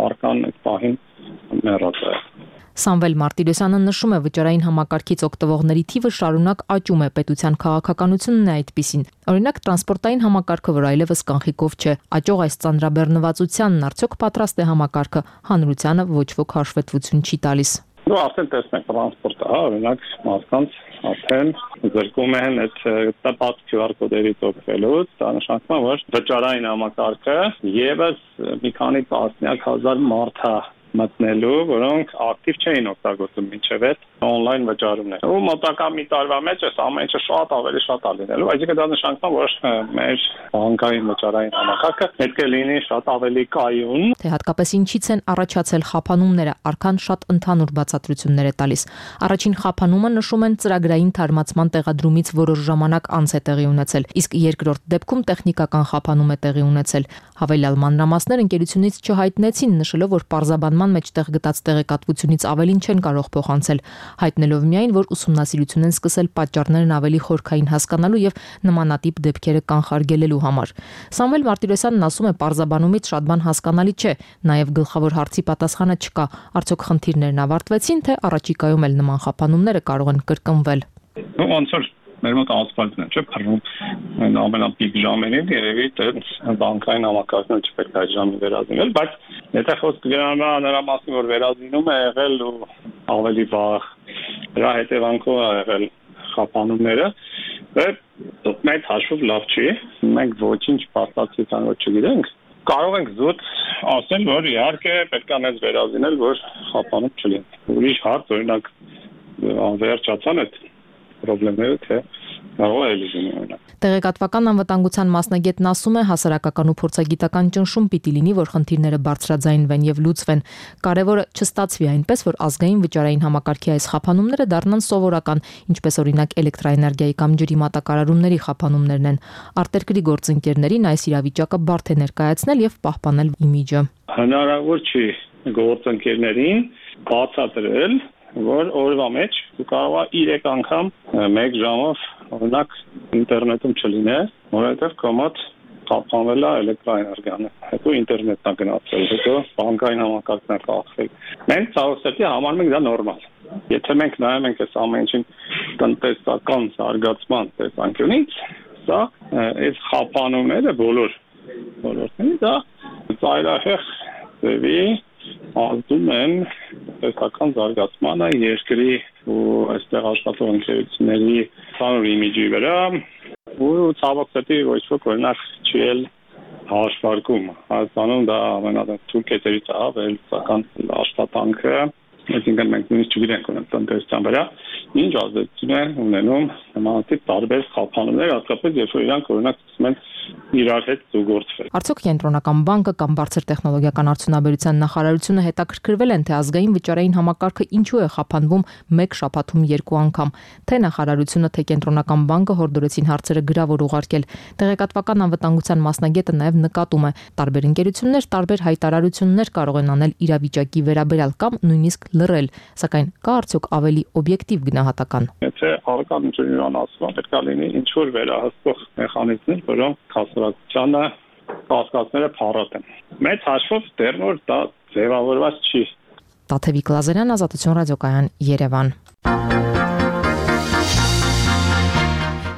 արկան այդ պահին մեռած է։ Սամվել Մարտիրոսյանը նշում է, վճարային համակարգից օգտվողների թիվը շարունակ աճում է, պետության քաղաքականությունն է այդպիսին։ Օրինակ տրանսպորտային համակարգը, որ այլևս կանխիկով չէ, աճող այս ծանրաբեռնվածությանն արդյոք պատրաստ է համակարգը, հանրությանը ոչ ոք հաշվետվություն չի տալիս։ Դու արդեն տեսնեք տրանսպորտը, հա, օրինակ մարդկանց արդեն զրկում են այդ տպած QR կոդերից օգտվելուց, դա նշանակում է, որ վճարային համակարգը եւս մի քանի տասնյակ հազար մարդ է մտնելու, որոնք ակտիվ չէին օգտագործում մինչև այդ on-line վճարումներ։ Ու մոտակա մի տարվա մեջ այս ամեն ինչը շատ ավելի շատ է լինելու, այսինքն դա նշանակում է, որ մեր բանկային վճարային համակարգը պետք է լինի շատ ավելի կայուն։ Թե հատկապես ինչից են առաջացել խափանումները, արքան շատ ընդհանուր բացատրություններ է տալիս։ Առաջին խափանումը նշում են ծրագրային թարմացման տեղադրումից որոշ ժամանակ անց է տեղի ունեցել, իսկ երկրորդ դեպքում տեխնիկական խափանում է տեղի ունեցել։ Հավելյալ մանրամասներ ընկերությունից չհայտնեցին, նշելով, որ պարզաբանման մեջտեղ գտած տեղեկատվությունից ավելին չեն կարող փոխանցել, հայտնելով միայն, որ ուսումնասիրություն են սկսել պատճառներն ավելի խորքային հասկանալու եւ նմանատիպ դեպքերը կանխարգելելու համար։ Սամվել Մարտիրոսյանն ասում է, պարզաբանումից շատ բան հասկանալի չէ, նաեւ գլխավոր հարցի պատասխանը չկա, արդյոք խնդիրներն ավարտվեցին, թե առաջիկայում էլ նման խափանումները կարող են կրկնվել։ Ոնց որ մեր մոտ ասֆալտն է, չէ՞, փռում այն ամենապիկ ժամերին, երևի այդ բանկային համակարգը չպետք է այդ ժամին վերազինել, բայց եթե խոսքը գնալու է նրա մասին, որ վերազինում է եղել ու ավելի վաղ դրա հետևանքով է եղել խափանումները, մեծ հաշվով լավ չի, մենք ոչինչ փաստացիական որ չգիտենք, կարող ենք զուտ ասել, որ իհարկե պետք է մեզ վերազինել, որ խափանում չլինի։ Ուրիշ հարց, օրինակ անվերջացան այդ պրոբլեմները, թե կարող է լինի օրինակ։ Տեղեկատվական անվտանգության մասնագետն ասում է, հասարակական ու փորձագիտական ճնշում պիտի լինի, որ խնդիրները բարձրաձայնվեն եւ լուծվեն։ Կարևորը չստացվի այնպես, որ ազգային վճարային համակարգի այս խափանումները դառնան սովորական, ինչպես օրինակ էլեկտրաէներգիայի կամ ջրի մատակարարումների խափանումներն են։ Արտերկրի գործընկերներին այս իրավիճակը բարդ է ներկայացնել եւ պահպանել իմիջը։ Հնարավոր չի գործընկերներին բացատրել, որ օրվա մեջ դու կարող ես 3 անգամ 1 ժամով օրինակ ինտերնետում չլինես, որովհետև կոմոդ խափանվել է էլեկտրաէներգիան, հետո ինտերնետն է գնացել, հետո բանկային համակարգն է կախվել։ Մենք ցավոքսեթի համարում ենք դա նորմալ։ Եթե մենք նայում ենք այս ամեն ինչին տնտեսական զարգացման տեսանկյունից, սա այս խափանումները բոլորտեղի դա ծայրահեղ ձևի ազդում են տնտեսական զարգացմանը երկրի ու այստեղ աշխատող ընկերությունների ցանր իմիջի վրա ու ցավոքսեթի ոչ ոք օրինակ չի էլ հաշվարկում։ Հայաստանում դա ամենաթույլ կետերից է վերլուծական աշխատանքը, այսինքն մենք նույնիսկ չգիտենք ունենք տնտեսության վրա ինչ ազդեցություն է ունենում նմանատիպ տարբեր խափանումներ, հատկապես երբ որ իրանք օրինակ սկսում են իրար հետ զուգորդվել։ Արդյոք Կենտրոնական բանկը կամ բարձր տեխնոլոգիական արդյունաբերության նախարարությունը հետաքրքրվել են, թե ազգային վճարային համակարգը ինչու է խափանվում մեկ շաբաթում 2 անգամ, թե նախարարությունը, թե Կենտրոնական բանկը հորդորեցին հարցերը գրավոր ուղարկել։ Տեղեկատվական անվտանգության մասնագետը նաև նկատում է, տարբեր ընկերություններ տարբեր հայտարարություններ կարող են անել իրավիճակի վերաբերյալ կամ նույնիսկ լռել, սակայն կա արդյոք ավելի օբյեկտիվ գնահատական։ Եթե առկան ինժեներան ասում, պետք է լինի ինչ որ վերահսկող մեխանիզմներ, որոնք հասարակությանը կասկածները փառատեն։ Մեծ հաշվով դեռ նոր դա ձևավորված չի։ Տաթևիկ Լազարյան, Ազատություն ռադիոկայան, Երևան։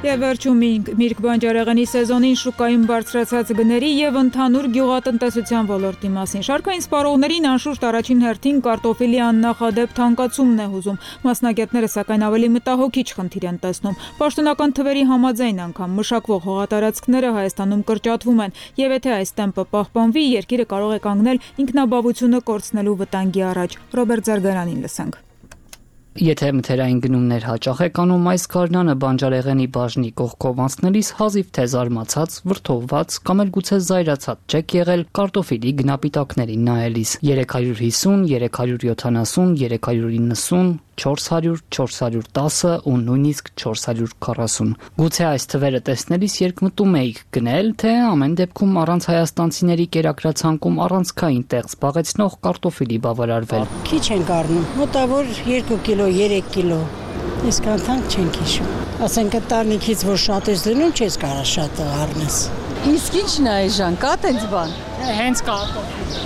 Եվ վերջում Միրգ բանջարեղենի սեզոնին շուկայում բարձրացած գների եւ ընդհանուր գյուղատնտեսության ոլորտի մասին։ Շարքային սպառողներին անշուշտ առաջին հերթին կարտոֆիլի աննախադեպ թանկացումն է հուզում։ Մասնագետները սակայն ավելի մտահոգիչ խնդիր են տեսնում։ Պաշտոնական թվերի համաձայն անգամ մշակվող հողատարածքները Հայաստանում կրճատվում են, եւ եթե այս տեմպը պահպանվի, երկիրը կարող է կանգնել ինքնաբավությունը կորցնելու վտանգի առաջ։ Ռոբերտ Զարգարանին լսենք։ Եթե մթերային գնումներ հաճախ եք անում, այս գարնանը բանջարեղենի բաժնի կողքով անցնելիս հազիվ թե զարմացած, վրդովված կամ էլ գուցե զայրացած չեք եղել կարտոֆիլի գնապիտակներին նայելիս։ 350, 370, 390, 400, 410 ու նույնիսկ 440։ Գուցե այս թվերը տեսնելիս երկմտում էիք գնել, թե ամեն դեպքում առանց հայաստանցիների կերակրացանկում առանցքային տեղ զբաղեցնող կարտոֆիլի բավարարվել։ Քիչ ենք առնում, մոտավոր 2 կիլո, 3 կիլո։ Այսքան թանկ չենք հիշում։ Ասենք տարնիկից որ շատ ես լինում, չես կարող շատ առնես։ Իսկ ի՞նչն է այժմ, կա տենց բան։ Հենց կարտոֆիլ։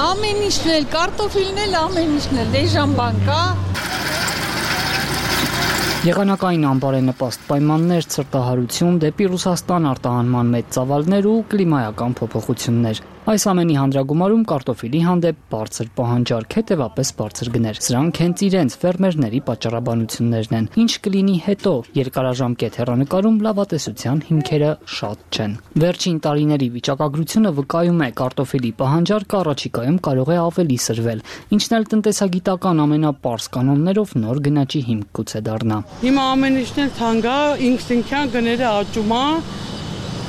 Ամեն ինչն էլ, կարտոֆիլն էլ, ամեն ինչն էլ, դեժան բան կա։ Եղանակային անբարենպաստ պայմաններ, ցրտահարություն, դեպի Ռուսաստան արտահանման մեծ ծավալներ ու կլիմայական փոփոխություններ։ Այս ամենի հանդրագումարում կարտոֆիլի հանդեպ բարձր պահանջարկ, հետևապես բարձր գներ։ Սրանք հենց իրենց ֆերմերների պատճառաբանություններն են։ Ինչ կլինի հետո, երկարաժամկետ հեռանկարում լավատեսության հիմքերը շատ չեն։ Վերջին տարիների վիճակագրությունը վկայում է, կարտոֆիլի պահանջարկը առաջիկայում կարող է ավելի սրվել, ինչն էլ տնտեսագիտական ամենապարզ կանոններով նոր գնաճի հիմք գուցե դառնա։ Հիմա ամեն ինչն էլ թանկ է, ինքնին գները աճում է,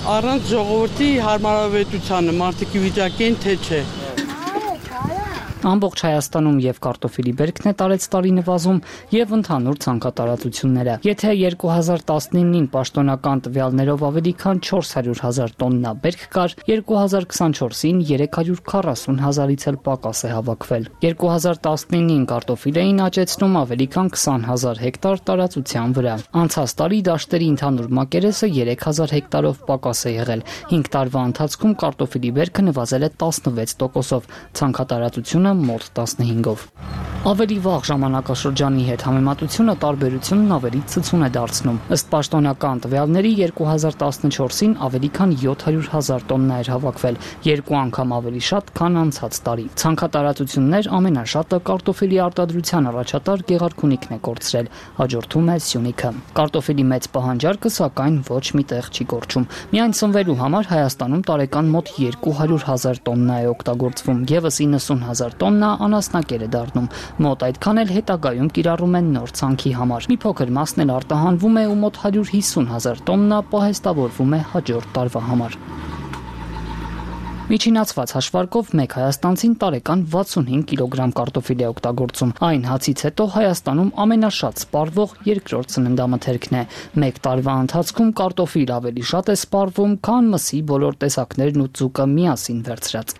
առանց ժողովրդի հարմարավետությանը, մարդիկի վիճակին թե չէ։ Ամբողջ Հայաստանում եւ կարտոֆիլի բերքն է տարեց տարի նվազում եւ ընդհանուր ցանկատարածությունները։ Եթե 2019-ին պաշտոնական տվյալներով ավելի քան 400,000 տոննա բերք կար, 2024-ին 340,000-ից էլ պակաս է հավաքվել։ 2019-ին կարտոֆիլ էին աճեցնում ավելի քան 20,000 հեկտար տարածության վրա։ Անցած տարի դաշտերի ընդհանուր մակերեսը 3,000 հեկտարով պակաս է եղել։ 5 տարվա ընթացքում կարտոֆիլի բերքը նվազել է 16%-ով, ցանկատարածությունը մոտ 15-ով։ Ավելի վաղ ժամանակաշրջանի հետ համեմատությունը տարբերությունն ավելի ցցուն է դարձնում։ Ըստ պաշտոնական տվյալների 2014-ին ավելի քան 700,000 տոննա էր հավաքվել, 2 անգամ ավելի շատ, քան անցած տարի։ Ցանկատարածություններ ամենաշատը կարտոֆիլի արտադրության առաջատար Գեղարքունիքն է կորցրել, հաջորդում է Սյունիքը։ Կարտոֆիլի մեծ պահանջարկը սակայն ոչ մի տեղ չի կորչում։ Միայն սնվելու համար Հայաստանում տարեկան մոտ 200,000 տոննա է օգտագործվում, եւս 90,000 տոննա անասնակեր է դառնում։ Մոտ այդքան էլ հետագայում կիրառում են նոր ցանքի համար։ Մի փոքր մասն էլ արտահանվում է ու մոտ 150,000 տոննա պահեստավորվում է հաջորդ տարվա համար։ Միջինացված հաշվարկով մեկ հայաստանցին տարեկան 65 կիլոգրամ կարտոֆիլ է օգտագործում։ Այն հացից հետո Հայաստանում ամենաշատ սպառվող երկրորդ սննդամթերքն է։ Մեկ տարվա ընթացքում կարտոֆիլ ավելի շատ է սպառվում, քան մսի բոլոր տեսակներն ու ձուկը միասին վերցրած։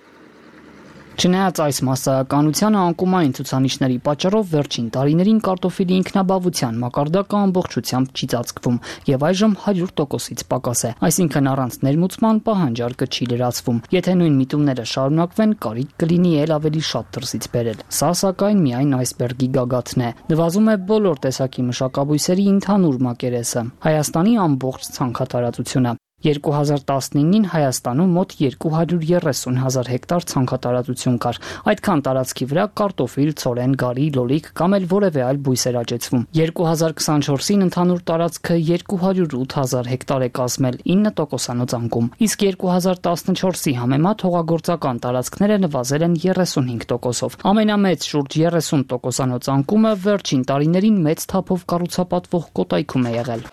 Չնայած այս մասսայականությանը անկումային ցուցանիշների պատճառով վերջին տարիներին կարտոֆիլի ինքնաբավության մակարդակը ամբողջությամբ չի ծածկվում եւ այժմ 100%-ից պակաս է, այսինքն առանց ներմուծման պահանջարկը չի լրացվում։ Եթե նույն միտումները շարունակվեն, կարիք կլինի ել ավելի շատ դրսից բերել։ Սա սակայն միայն այսբերգի գագաթն է։ Նվազում է բոլոր տեսակի մշակաբույսերի ընդհանուր մակերեսը, Հայաստանի ամբողջ ցանքատարածությունը։ 2019-ին Հայաստանում մոտ 230,000 հեկտար ցանքատարածություն կար։ Այդքան տարածքի վրա կարտոֆիլ, ցորեն, գարի, լոլիկ կամ էլ որևէ այլ բույս էր աճեցվում։ 2024-ին ընդհանուր տարածքը 208,000 հեկտար է կազմել 9%-անոց անկում։ Իսկ 2014-ի համեմատ հողագործական տարածքները նվազել են 35%-ով։ Ամենամեծ շուրջ 30%-անոց անկումը վերջին տարիներին մեծ թափով կառուցապատվող Կոտայքում է եղել։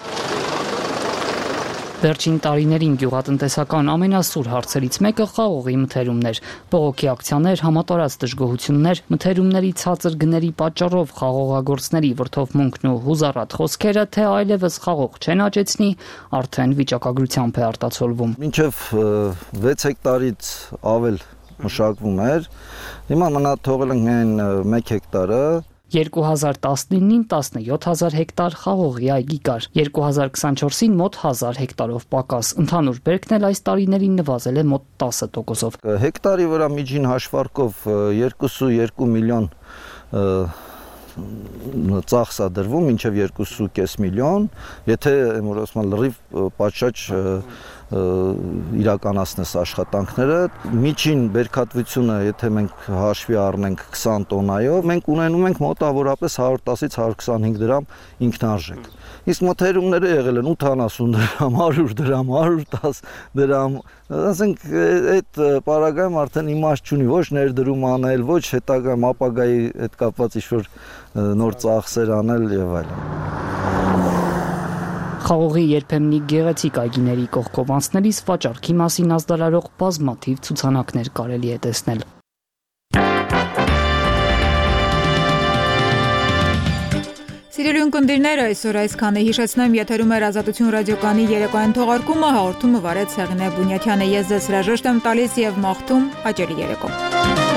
Վերջին տարիներին գյուղատնտեսական ամենասուր հարցերից մեկը խաղողի մթերումներ, բողոքի ակցիաներ, համատարած դժգոհություններ, մթերումների ցածր գների պատճառով խաղողագործների վրդովմունքն ու հուզառատ խոսքերը, թե այլևս խաղող չեն աճեցնի, արդեն վիճակագրությամբ է արտացոլվում։ Մինչև 6 հեկտարից ավել մշակվում էր, հիմա մնա թողել ենք միայն 1 հեկտարը։ 2019-ին 17000 հեկտար խաղողի այգի կար, 2024-ին մոտ 1000 հեկտարով պակաս, ընդհանուր բերքն էլ այս տարիներին նվազել է մոտ 10%-ով։ Հեկտարի վրա միջին հաշվարկով 2.2 միլիոն ծախս է դրվում, մինչև 2.5 միլիոն, եթե լրիվ պատշաճ իրականացնես աշխատանքները, միջին բերքատվությունը, եթե մենք հաշվի առնենք 20 տոննայով, մենք ունենում ենք մոտավորապես 110-ից 125 դրամ ինքնարժեք։ Իսկ մթերումները եղել են 80 դրամ, 100 դրամ, 110 դրամ, ասենք այդ պարագայում արդեն իմաստ չունի ոչ ներդրում անել, ոչ հետագայում ապագայի հետ կապված ինչ-որ նոր ծախսեր անել եւ այլն։ Խաղողի երբեմնի գեղեցիկ այգիների կողքով անցնելիս վաճառքի մասին ազդարարող բազմաթիվ ցուցանակներ կարելի է տեսնել։ Սիրելի ունկնդիրներ, այսօր այսքանը հիշեցնեմ, եթերում էր Ազատություն ռադիոկայանի երեկոյան թողարկումը, հաղորդումը վարեց Սեղինե Բունյաթյանը, ես ձեզ հրաժեշտ եմ տալիս եւ մաղթում հաճելի երեկո։